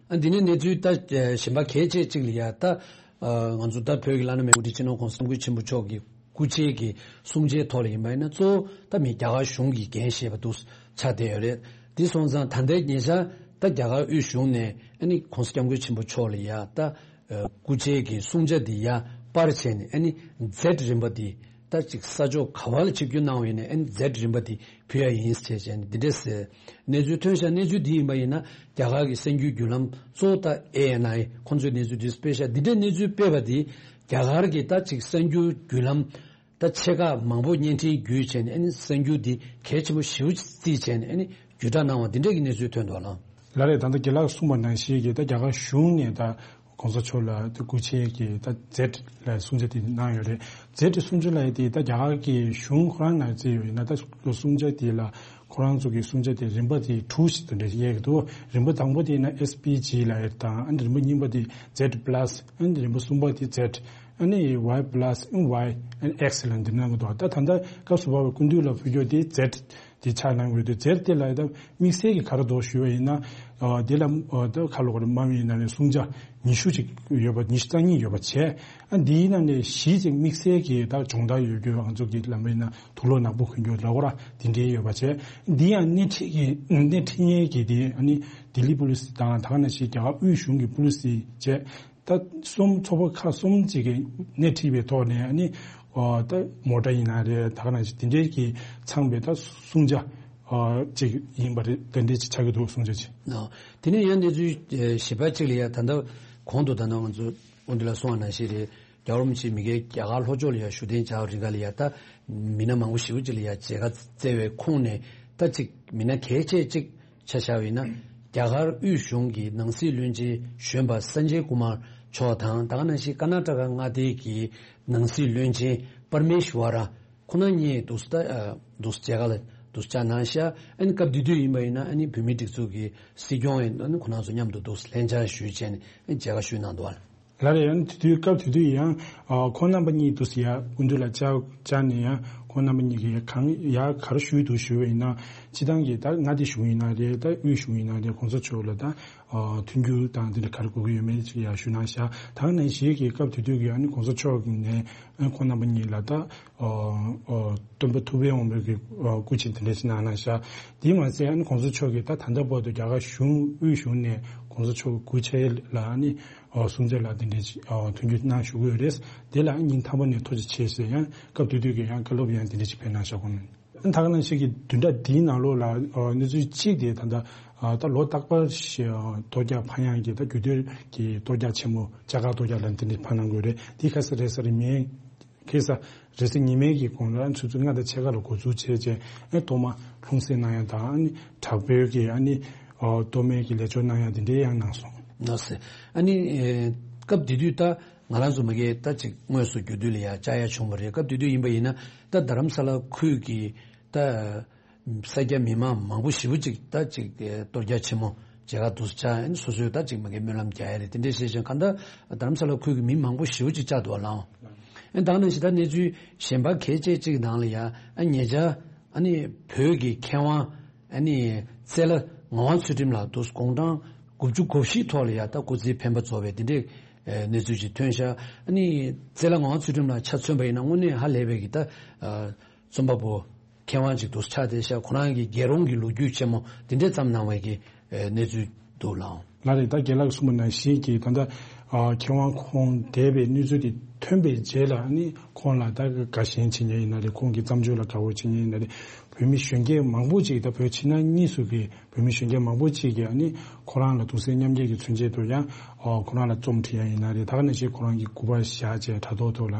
ཨ་འདི་ནི་གནས་ཚུལ་ད་གཞན་པ་གལ་ཆེ་གཅིག་ལ་ཡ་ད་ང་ཚོ་ད་བོད་ཀྱི་བླ་ན་མེད་དབུ་ཁྲིད་སྤྱི་ནོར་༸གོང་ས་༸སྐྱབས་མགོན་ཆེན་པོ་མཆོག་གི་སྐུ་ཕྱྭའི་གི་གསུང་ཆོས་ཐོག་ལ་ཡིན་པ་ཡིན་ན་གཙོ་བོ་ད་མི་རྒྱ་གར་གཞུང་གིས་འགན་བཞེས་པ་འདུག་ཆགས་བསྡད་ཡོད་རེད། དེ་སོང་ཙང་ད་ལྟའི་ཉེ་ཆར་ད་རྒྱ་གར་དབུས་གཞུང་ནས་ཨ་ནི་༸གོང་ས་༸སྐྱབས་མགོན་ཆེན་པོ་མཆོག་ལ་ཡ་ད་སྐུ་ཕྱྭའི་གི་གསུང་ཆོས་འདི་ཡ་པར་བྱས་ནས་ཨ་ནི་ཛེཌ་རིམ་པ་འདི་ད་ཅིག་ས་ཕྱོགས་ག་བ་ལ་ཆིབས་བསྒྱུར་གནང་བ་ཡིན་ནའི་ཨ་ནི་ཛེཌ་རིམ་པ་འདི་ཕུལ་ཡ་ཡིན་ཟེར་བྱས་ནས་འདི་འདྲས་ཟེར་གནས་ཚུལ་ཐོན་ཤག་གནས་ཚུལ་འདི་ཡིན་པ་ཡིན་ན་རྒྱ་གར་གྱི་གསར་འགྱུར་བརྒྱུད་ལམ་གཙོ་བོ་ད་ཨེ་ཨེན་ཨའི་ཁོང་ཚོས་གནས་ཚུལ་འདི་སྤེལ་ཤག་འདི་འདྲའི་གནས་ཚུལ་སྤེལ་བ་འདི་རྒྱ་གར་གྱི་ད་ཅིག་གསར་འགྱུར་བརྒྱུད་ལམ་ད་ཆེ་ཁག་མང་པོ་བརྙན་འཕྲིན་བརྒྱུད་བྱས་ནས་ཨ་ནི་གསར་འགྱུར་འདི་གལ་ཆེན་པོ་ཞེ་པོ་ཅིག་བརྩིས་བྱས་ནས་ཨ་ནི་བརྒྱུད་བསྒྲགས་གནང་བ་འདི་འདྲ་གི་གནས་ཚུལ་ཐོན་འདུག་ལགས། ལགས་རེད། ད་ལྟ་རྒན་ལགས་གསུངས་པ་ནང་བཞིན་གྱི་ད་རྒྱ་གར་གཞུང་ནས་ད་༸གོང་ས་མཆོག་ལ་དེ་སྐུ་ཕྱྭའི་གི་ད་ཛེཌ་ལ་གསུང་ཆོས་དེ་གནང་ཡོད་རེད། ཛེཌ་གསུང་ཆོས་ལ་དེ་ད་རྒྱ་གར་གི་གཞུང་ཁོ་རང་ནང་བརྩིས་ཡོད་ཡིན་ན་ད་གསུང་ཆོས་དེ་ལ་ཁོ་རང་ཚོ་གི་གསུང་ཆོས་དེ་རིམ་པ་དེ་དྲུག་ཞིག་ཏུ་འདྲ་ཞིག་དབྱེ་གི་འདུག་རིམ་པ་དང་པོ་དེ་ཡིན་ན་ཨེས་པི་ཇི་ལ་ཡོད་དང་ཨ་ནི་རིམ་པ་གཉིས་པ་དེ་ཛེཌ་པ་ལ་སི་ཨ་ནི་རིམ་པ་གསུམ་པ་དེ་ཛེཌ་ཨ་ནི་ཝའི་པ་ལ་སི་ཨ་ནི་ཝའི་ཨ་ནི་ཨེག་སི་ལ་འདི་གནང་གི་འདུག་ད་ད་ལྟ་སྐབས་སུ་བབས་པའི་སྐུ་མདུན་ལ་ཕུལ་རྒྱུ་དེ་ཛེཌ་དེ་ཆགས་གནང་དགོས་དུས་ཛེཌ་དེ་ལ་ད་དམིགས་བསལ་གྱི་ག་རེ་འདུག་ཞུས་པ་ཡིན་ན། ཨ་དེ་ལ་ཨ་ད་ཁ་ལོ་ག་རེ་དམའ་མོ་ཡིན་ན་ནས་གསུང་ཆོས་ཉི་ཤུ་ཅིག་ཡོད་པ་ཉི་ཤུ་རྩ་གཉིས་ཡོད་པ་བྱས། ཨ་འདིའི་ནང་ནས་བཞི་ཅིག་དམིགས་བསལ་གྱི་ད་སྦྱོང་བརྡར་ཡོད་རྒྱུ་ང་ཚོ་གི་ལམ་བུའི་ནང་དུག་ལོག་ནག་པོ་གོན་རྒྱུ་ལ་གོ་ར་དེ་འདྲའི་ཡོད་པ་བྱས། འདི་ཡང་སྣེ་ཁྲིད་ཀྱི་སྣེ་ཁྲིད་མཁན་གྱི་དེ་ཨ་ནི་ལྡི་ལི་པུ་ལི་སི་དང་ད་ག་ནང་བཞིན་རྒྱ་གར་དབུས་གཞུང་གི་པུ་ལི་སི་བྱས། ད་གསུམ་ཚོགས་པ་ཁག་གསུམ་ཅིག་གིས་སྣེ་ཁྲིད་པའི་ཐོག་ནས་ཨ་ནི་ཨོ་ད་མོ་ཊ་ཡིན་ན་རེད། ད་ག་ནང་བཞིན་དེ་འདྲའི་གི་ཚང་བའི་ད་གསུང་ཆོས་ཨོ་ཅིག་ཡིན་པ་རེད། དེ་འདྲའི་ཅིག་ཆགས་ཀྱི་འདུག་གསུང་ཆོས་ཅིག་ཨོ་དེ་ནས་ཡང་གནས་ཚུལ་ཨེ་ཞིབ་པ་ཅིག་ལ་ཡ་ད་ལྟ་གོང་དུ་ད་ནང་ང་ཚོ་འོན་ཏེ་ལ་གསུང་བ་ནང་བཞིན་རེད། རྒྱལ་བ་རིན་པོ་ཆེ་མི་སྒེར་རྒྱ་གར་ལྷོ་ཕྱོགས་ལ་ཡ་བཞུགས་གདན་འཇགས་རིང་ག་ལ་ཡ་ད་མི་སྣ་མང་པོ་ཞེ་པོ་ཅིག་ལ་ཡ་མཇལ་ཁ་བསྩལ་བའི་ཁོངས་ནས་ད་ཅིག་མི་སྣ་གལ་ཆེ་ཅིག་ཆ་བཞག་པ་ཡིན་ན་ རྒྱ་གར་དབུས་གཞུང་གི་ནང་སྲིད་བློན་ཆེན་གཞོན་པ་སན་ཇེ་ཀུ་མར་མཆོག་དང་། ད་ག་ནང་བཞིན་ཀར་ནཱ་ཊ་ཀ་མངའ་སྡེ་གི་ནང་སྲིད་བློན་ཆེན་པར་མེ་ཤི་ཝ་ར། ཁོང་རྣམ་གཉིས་འདུག་སེ་ད་འདུག་སེ་མཇལ་ཁ་ལ་འདུག་སེ་བཅར་གནང་ཤག་ཨ་ནི་སྐབས་དེ་དུས་ཡིན་པ་ཡིན་ན་ཨ་ནི་བོད་མིའི་སྒྲིག་འཛུགས་ཀྱི་སྲིད་སྐྱོང་ཡིན་ཨ་ནི་ཁོང་རྣམ་ཚོ་མཉམ་དུ་འདུག་སེ་ལྷན་བཅར་ཞུས་བྱས་ནས་ཨ་ནི་མཇལ་ཁ་ཞུས་གནང་འདུག་བ། ལགས་རེད། ཨ་ནི་དེ་དུས་སྐབས་དེ་དུས་ཡང་ཨ་ཁོང་རྣམ་པ་གཉིས་འདུག་སེ་ཡར་སྐུ་མདུན་ལ་བཅར་བཅར་ནས་ཡང་ཁོང་རྣམ་པ་གཉིས་ཀྱིས་གང་ཡར་ག་རེ་ཞུས་འདུག་ཞུས་པ་ཡིན་ན། སྤྱིར་བཏང་གི་ད་མངའ་སྡེ་གཞུང་ཡིན་ན་རེད། ད་དབུས་གཞུང་ཡིན་ན་རེད། གོང་ས་མཆོག་ལ་ད་ཨ་མཐུན་འགྱུར་དང་དེ་འདྲ་ག་རེ་དགོས་ཀྱི་ཡོད་མེད་ཅིག་ཡར་ཞུས་གནང་ཤག་ད་ག་ནང་བཞིན་གྱི་སྐབས་དེ་དུས་ཀྱི་ཨ་ནི་གོང་ས་མཆོག་ནས་ཨ་ཁོང་རྣམ་པ་གཉིས་ལ་ད་ཨ་ཨ་སྟོན་པ་ཐུབ་པའི་དབང་པོ་གི་ཨ་སྐུ་མཆེད་དེ་འདྲ་ཅིག་གནང་གནང་ཤག་དེ་མ་ཟད་ཨ་ནི་གོང་ས་མཆོག་གིས་ད་ད་ལྟ་བར་དུ་རྒྱ་གར་གཞུང་དབུས་གཞུང་ནས་གོང་ས་མཆོག་གི་སྐུ་ཕྱྭ་ལ་ཨ་ནི་ཨ་སྲུང་བརྩི་ལ་དེ་འདྲ་ཅིག་ཨ་མཐུན་འགྱུར་གནང་བཞུགས་ཀྱི་ཡོད་རེད། དེ་ལ་ཨ་ཉིན་མཐའ་མ་ནས་ཐུགས་རྗེ་ཆེ་ཟེར་ཡང་སྐབས་དེ་དུས་ཀྱི་ཡང་བཀའ་སློབ་ཡང་དེ་འདྲ་ཅིག་ཕེབས་གནང་ཤག་ཁོང་ནས། ད་ག་ནང་བཞིན་གྱི་བདུན་ཕྲག་འདིའི་ནང་ལོགས་ལ་ཨ་གནས་ཚུལ་གཅིག་དེ་ད་ལྟ་ཨ་ད་ལོ་རྟག་པར་ཞིག་ཨ་གཏོར་རྒྱག་ཕངས་ཡངས་ཀྱི་ད་རྒྱུད་སྟོད་ཀྱི་གཏོར་རྒྱག་ཆེན་མོ་ལྕགས་མཁར་གཏོར་རྒྱག་ལ་འདི་འདྲ་ཕབ་གནང་དགོས་རེད། དེ་ཁ་སང་རེས་གཟའ་རིས་མེད། ཁ་སང་རེས་གཟའ་ཉི་མའི་གི་གོང་ལ་ཆུ་ཚོད་ལྔ་དང་ཕྱེད་ཀ་ལ་འགོ་འཛུགས་བྱས་རྗེས་ཨ་ཐོག་མ་ལྷུང་བཟེད་གནང་ཡག་དང་ཨ་ནི་དྲག་པོའི་གི་ཨ་ནི་ཨ་གཏོར་མའི་གི་ལས་སྦྱོར་གནང་ཡག་འདི་འདྲའི་ཡང་གནང་སོང་། ལགས་སེ། ཨ་ནི་ཨེ་སྐབས་དེ་དུས་ད་ང་རང་ཚོ་མ་གིར་ད་ཅིག་དངོས་སུ་རྒྱུད་སྟོད་ལ་ཡ་བཅར་ཡ་བྱུང་བ་རེད། སྐབས་དེ་དུས་ཡིན་པ་ཡིན་ན་ད་རྡ་རམ་ས་ལ་ཁུལ་གྱི་ད་ས་སྐྱ་མི་མང་མང་པོ་ཞེ་པོ་ཅིག་ད་ཅིག་ཨེ་གཏོར་རྒྱག་ཆེན་མོ་མཇལ་ཁ་འདུག་སེ་བཅར་ཨ་ནི་སོ་སོས་ད་ཅིག་མ་གིར་སྨོན་ལམ་རྒྱག་ཡ་རེད། དེ་འདྲས་བྱས་ཙང་གང་ལྟར་རྡ་རམ་ས་ལ་ཁུལ་གྱི་མི་མང་པོ་ཞེ་པོ་ཅིག་བཅར་འདུག་བ་ལགས། ཨ་ནི་ད་ག་ནང་བཞིན་ད་གནས་ཚུལ་གཞན་པ་གལ་ཆེ་གཅིག་ནང་ལ་ཡ་ཨ་ཉེ་ཆར་ཨ་ནི་བོད་ཀྱི་མཁས་དབང་ཨ་ནི་རྩེ་ལ་ངག་དབང་ཚུལ་ཁྲིམས་ལགས་འདུག་སེ་དགུང་གྲངས་དགུ་བཅུ་གོ་བཞི་ཐོག་ལ་ཡ་ད་སྐུ་ཚེ་འཕེན་པ་རྫོགས་པའི་དེ་འདྲའི་ཨེ་གནས་ཚུལ་ཅིག་ཐོན་ཤག་ཨ་ནི་རྩེ་ལ་ངག་དབང་ཚུལ་ཁྲིམས་ལགས་ཆ་མཚོན་པ་ཡིན་ན་དངོས་གནས་ཧ་ལས་པའི་གི་ད་ཨ་རྩོམ་པ་པོ་མཁས་དབང་ཅིག་འདུག་སེ་ཆགས་བསྡད་ཤག་ཁོ་རང་གི་རྒྱལ་རོང་གི་ལོ་རྒྱུས་ཆེན་མོ་དེ་འདྲས་བརྩམས་གནང་བའི་གི་ཨེ་གནས་ཚུལ་འདུག་ལགས། ལགས་རེད། ད་རྒན་ལགས་གསུངས་པ་ནང་བཞིན་གྱི་ད་ལྟ་ཨ་མཁས་དབང་ཁོང་འདས་པའི་གནས་ཚུལ་དེ་ཐོན་པའི་རྗེས་ལ་ཨ་ནི་ཁོང་ལ་ད་དགའ་ཞེན་བྱེད་མཁན་ཡིན་ན་རེད། ཁོང་གི་བརྩམས་ཆོས་ལ་དགའ་བོ་བྱེད་མཁན་ཡིན་ན་རེད། བོད་མི་གཞོན་སྐྱེས་མང་པོ་ཅིག་ད་བོད་ཕྱི་ནང་གཉིས་སུ་གི་བོད་མི་གཞོན་སྐྱེས་མང་པོ་ཅིག་གིས་ཨ་ནི་ཁོ་རང་ལ་གདུང་སེམས་མཉམ་སྐྱེད་ཀྱི་མཚོན་ཆེད་དུ་ཡང་ཨ་ཁོ་རང་ལ་རྩོམ་བྲིས་ཡ་ཡིན་ན་རེད། ད་ག་ནང་བཞིན་ཁོ་རང་གི་སྐུ་པར་བཞག་བྱས་དྲ་ཐོག་ཐོག་ལ་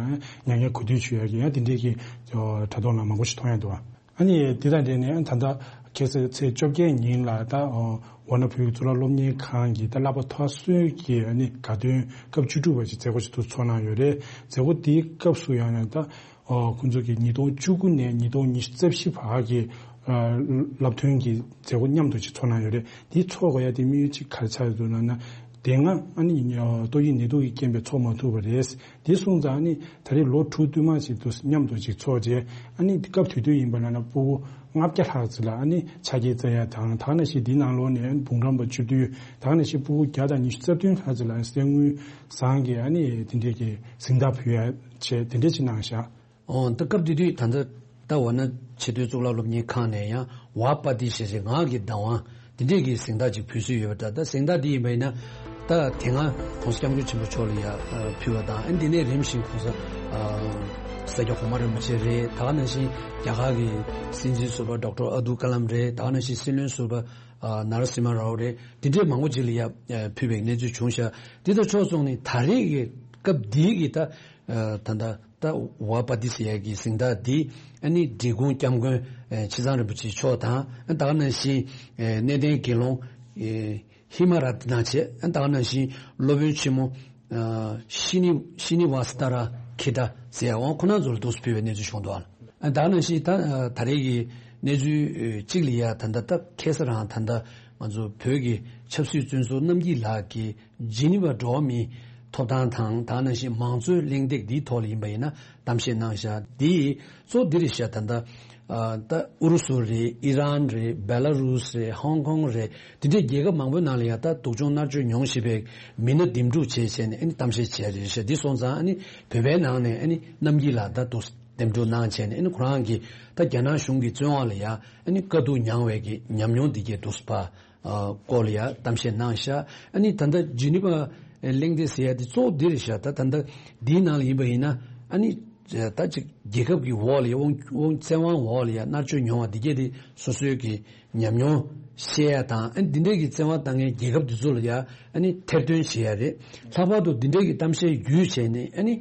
མྱ་ངན་གུས་འདུད་ཞུ་ཡ་གི་ཡང་དེ་འདྲས་ཀྱི་ཨ་དྲ་ཐོག་ལ་མང་པོ་ཞིག་མཐོང་ཡ་འདུག་བ། ཨ་ནི་དེ་དང་འབྲེལ་ནས་ད་ལྟ་ཁ་སང་ཚེས་བཅོ་བརྒྱད་ཉིན་ལ་ད་ཨ་ཝཱ་ཎ་བོད་ཀྱི་གཙུག་ལག་སློབ་གཉེར་ཁང་གི་ད་བསླབ་པ་མཐར་སོན་གྱི་ཨ་ནི་དགའ་སྟོན་སྐབས་བཅུ་དྲུག་པ་ཞིག་མཛད་སྒོ་ཞིག་ཏུ་ཚོགས་གནང་ཡོད་རེད། མཛད་སྒོ་དེའི་སྐབས་སུ་ཡང་ཡང་ད་ཨ་ཁོང་ཚོ་གིས་ཉིས་སྟོང་བཅུ་དགུ་ནས་ཉིས་སྟོང་ཉི་ཤུ་རྩ་བཞི་བར་གྱི་ཨ་བསླབ་ཐོན་གྱི་མཛད་སྒོ་མཉམ་དུ་ཅིག་ཚོགས་གནང་ཡོད་རེད། དེ་ཚོགས་དགོས་ཡ་དེ་དམིགས་ཡུལ་གཅིག་ག་རེ་ཆགས་ཡོད་འདུག་ལབ་ན། དེ་སྔ་ཨ་ནི་ཨ་ཏོག་དབྱིབས་ནད་དུག་གི་རྐྱེན་པས་ཚོགས་མ་ཐུབ་པ་རེད། དེ་སོང་ཙང་ཨ་ནི་ད་རེས་ལོ་དྲུག་བསྟུད་མར་ཅིག་ཏུ་མཉམ་དུ་ཅིག་ཚོགས་རྗེས་ཨ་ནི་སྐབས་དེ་དུས་ཡིན་པ་ན་ན་སྤུ་གུ་ལྔ་བརྒྱ་ལྷག་ཙམ་ལ་ཨ་ནི་ཆ་རྐྱེན་བསྩལ་ཡ་དང་། ད་ག་ནང་བཞིན་འདིའི་ནང་ལོགས་ནས་འབུམ་རམས་པ་བཅུ་བདུན། ད་ག་ནང་བཞིན་སྤུ་གུ་བརྒྱ་དང་ཉི་ཤུ་རྩ་བདུན་ལྷག་ཙམ་ལ་གསེར་དངུལ་ཟངས་ཀྱི་ཨ་ནི་དེ་འདྲས་ཀྱི་གཟེངས་རྟགས་ཕུལ་ཡ་བྱས་དེ་འདྲས་ཅིག་གནང་ཤག་ཨོ་ད་སྐབས་དེ་དུས་ད་ལྟ་ད་ཝཱ་ཎ་ཆེས་མཐོའི་གཙུག་ལག་སློབ་གཉེར་ཁང་ནས་ཡང་ཝཱ་པ་ཏི་ཞེས་བྱའི་ངག་གི་བདག་དབང་དེ་འདྲས་ཀྱི་གཟེངས་རྟགས་ཅིག་ཕུལ་སྲོལ་ཡོད་པ་འདྲ། ད་གཟེངས་རྟགས་འདི་ཡིན་པ་ཡིན་ན་ད་དེ་སྔ་༸གོང་ས་༸སྐྱབས་མགོན་ཆེན་པོ་མཆོག་ལ་ཡང་ཕུལ་བ་དང་། ཨ་འདི་ནས་རིམ་བཞིན་༸གོང་ས་ཨ་ས་སྐྱ་གོང་མ་རིན་པོ་ཆེ་རེད། ད་ག་ནང་བཞིན་རྒྱ་གར་གྱི་སྲིད་འཛིན་ཟུར་པ་ཌོག་ཊར་ཨབ་དུལ་ཀ་ལམ་རེད། ད་ག་ནང་བཞིན་སྲིད་བློན་ཟུར་པ་ཨ་ནཱ་ར་སིམ་ཧ་རའོ་རེད། དེ་འདྲས་མང་པོ་ཅིག་ལ་ཡང་ཕུལ་བའི་གནས་ཚུལ་བྱུང་ཤག་འདི་དང་ཕྱོགས་མཚུངས་ནས་ད་རེས་ཀྱི་སྐབས་འདིའི་གི་ད་ད་ད་ད་ཝཱ་པ་ཏི་ཟེར་ཡ་གི་གཟེངས་རྟགས་འདི་ཨ་ནི་འབྲི་གུང་སྐྱབས་མགོན་ཨེ་ཆེ་ཚང་རིན་པོ་ཆེ་མཆོག་དང་། ཨ་ད་ག་ནང་བཞིན་ཨེ་གནས་བརྟན་དགེ་སློང་ཨེ་ཧི་མ་ར་ཏི་ན་བྱས། ཨ་ད་ག་ནང་བཞིན་སློབ་དཔོན་ཆེན་མོ་ཨ་ཤི་ནི་ཤི་ནི་ཝ་སི་ཏཱ་ར་ཁི་ཏཱ་ཟེར་ཡ་འོང་ཁོ་ན་ཚོ་ལ་འདུག་སེ་ཕུལ་བའི་གནས་ཚུལ་བྱུང་འདུག་ཨ་ད་ག་ནང་བཞིན་ད་ད་རེས་ཀྱི་གནས་ཚུལ་གཅིག་ལ་ཡ་ད་ལྟ་ད་ཁ་སང་རང་ད་ལྟ་ང་ཚོ་བོད་ཀྱི་ཆབ་སྲིད་བཙོན་ཟུར་རྣམ་རྒྱལ་ལགས་ཀྱིས་ཇི་ནི་ཝ་འགྲོ་བ་མིའི་ཐོབ་ཐང་དང་། ད་ག་ནང་བཞིན་མང་གཙོའི་གླེང་སྟེགས་འདིའི་ཐོག་ལ་ཡིན་པ་ཡིན་ན་གཏམ་བཤད་གནང་བཞག་འདི་གཙོ་བོ་འདི་རེད་ཤག་ད་ལྟ་ཨ་ད་ཨུ་རུ་སུ་རེད། ཨི་རན་རེད། བེ་ལ་རུས་རེད། ཧོང་ཀོང་རེད། འདི་འདྲའི་རྒྱལ་ཁབ་མང་པོའི་ནང་ལ་ཡང་ད་སྡུག་སྦྱོང་མནར་གཅོད་མྱོང་བཞིན་པའི་མི་སྣ་འདེམས་སྒྲུག་བྱས་བྱས་ནས་ཨ་ནི་གཏམ་བཤད་བྱས་རེད་ཤག་འདི་སོང་ཙང་ཨ་ནི་བོད་པའི་ནང་ནས་ཨ་ནི་རྣམ་རྒྱལ་ལགས་ད་འདུག་འདེམས་སྒྲུག་གནང་བྱས་ནས་ཨ་ནི་ཁོ་རང་གིས་ད་རྒྱ་ནག་གཞུང་གི་བཙོན་དབང་ལ་ཡང་ཨ་ནི་དཀའ་སྡུག་མྱངས་པའི་གི་ཉམས་མྱོང་འདི་གས་འདུག་སེ་ཕར་ཨ་སྐོར་ལ་ཡ་གཏམ་བཤད་གནང་ཤག་ཨ་ནི་ད་ལྟ་ཇི་ནི་ཝ་གླེང་སྟེགས་ཟེར་ཡ་དེ་གཙོ་བོ་འདི་རེད་ཤག་ད་ད་ལྟ་འདིའི་ནང་ལ་ཡིན་པ་ཡིན་ན་ཨ་ནི་ད་ཅིག་རྒྱལ་ཁབ་ཀྱི་འོག་ལ་ཡ་དབང་དབང་བཙན་དབང་འོག་ལ་ཡ་མནར་གཅོད་མྱོང་བ་འདི་གས་དེ་སོ་སོའི་གི་ཉམས་མྱོང་བཤད་ཡ་དང་། ཨ་ནི་འདི་འདྲས་ཀྱི་བཙན་དབང་བཏང་མཁན་རྒྱལ་ཁབ་འདི་ཚོ་ལ་ཡ་ཨ་ནི་ཐེར་འདོན་བྱེད་ཡ་རེད། ལྷག་པར་དུ་འདི་འདྲས་ཀྱི་གཏམ་བཤད་བརྒྱུད་བྱས་ནས་ཨ་ནི་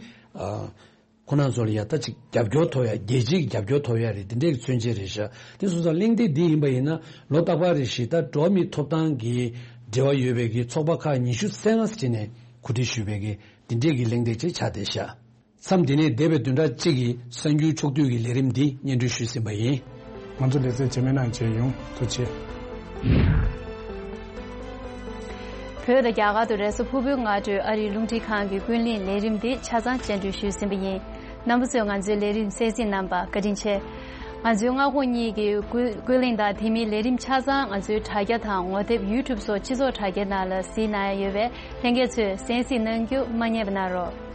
ཨ། ཁོང་རྣམ་ཚོ་ལ་ཡ་ད་ཅིག་རྒྱབ་སྐྱོར་ཐོབ་ཡ། རྒྱལ་སྤྱིའི་རྒྱབ་སྐྱོར་ཐོབ་ཡ་རེད། དེ་འདྲའི་མཚོན་བྱེད་རེད་ཤག་དེ་སོང་ཙང་གླེང་སྟེགས་འདི་ཡིན་པ་ཡིན་ན་ལོ་རྟག་པར་རེ་བཞིན་ད་འགྲོ་བ་མིའི་ཐོབ་ཐང་གི་འབྲེལ་བ་ཡོད་པའི་གི་ཚོགས་པ་ཁག་ཉི་ཤུ་རྩ་ལྔ་ཅིག་ནས་གོ་སྒྲིག་ཞུས་པའི་གི་འདི་འདྲའི་གི་གླེང་སྟེགས་ཅིག་ཆགས་བསྡད་ཤག་མཚམས་འདི་ནས་འདས་པའི་བདུན་ཕྲག་གཅིག་གི་གསར་འགྱུར་ཕྱོགས་བསྡུས་ཀྱི་ལས་རིམ་འདི་སྙན་སྒྲོན་ཞུས་ཟིན་པ་ཡིན། ང་ཚོ་ལེ་ཚན་རྗེས་མའི་ནང་མཇལ་ཡོང་། ཐུགས་རྗེ་ཆེ། བོད་དང་རྒྱ་གར་དུ་རེས་གཟའ་ཕུར་བུའི་སྔ་དྲོའི་ཨ་རིའི་རླུང་འཕྲིན་ཁང་གི་ཀུན་གླེང་ལས་རིམ་འདི་ཆ་ཚང་སྙན་སྒྲོན་ཞུས་ཟིན་པ་ཡིན། རྣམ་པ་ཚོས་ང་ཚོའི་ལས་རིམ་གསན་གཟིགས་གནང་བར་བཀའ་དྲིན་ཆེ། ང་ཚོའི་མངའ་ཁོངས་གཉིས་ཀྱི་ཀུན་ཀུན་གླེང་དང་དེ་མིན་ལས་རིམ་ཆ་ཚང་ང་ཚོའི་དྲ་རྒྱ་དང་ངོ་དེབ་YouTube་སོགས་སྤྱི་ཚོགས་དྲ་རྒྱའི་ནང་ལ་གཟིགས་གནང་ཡ་ཡོད་པས་ལྷན་རྒྱས་ཚོས་གསན་གཟིགས་གནང་རྒྱུ་མ་བསྙེལ་བ་གནང་རོགས།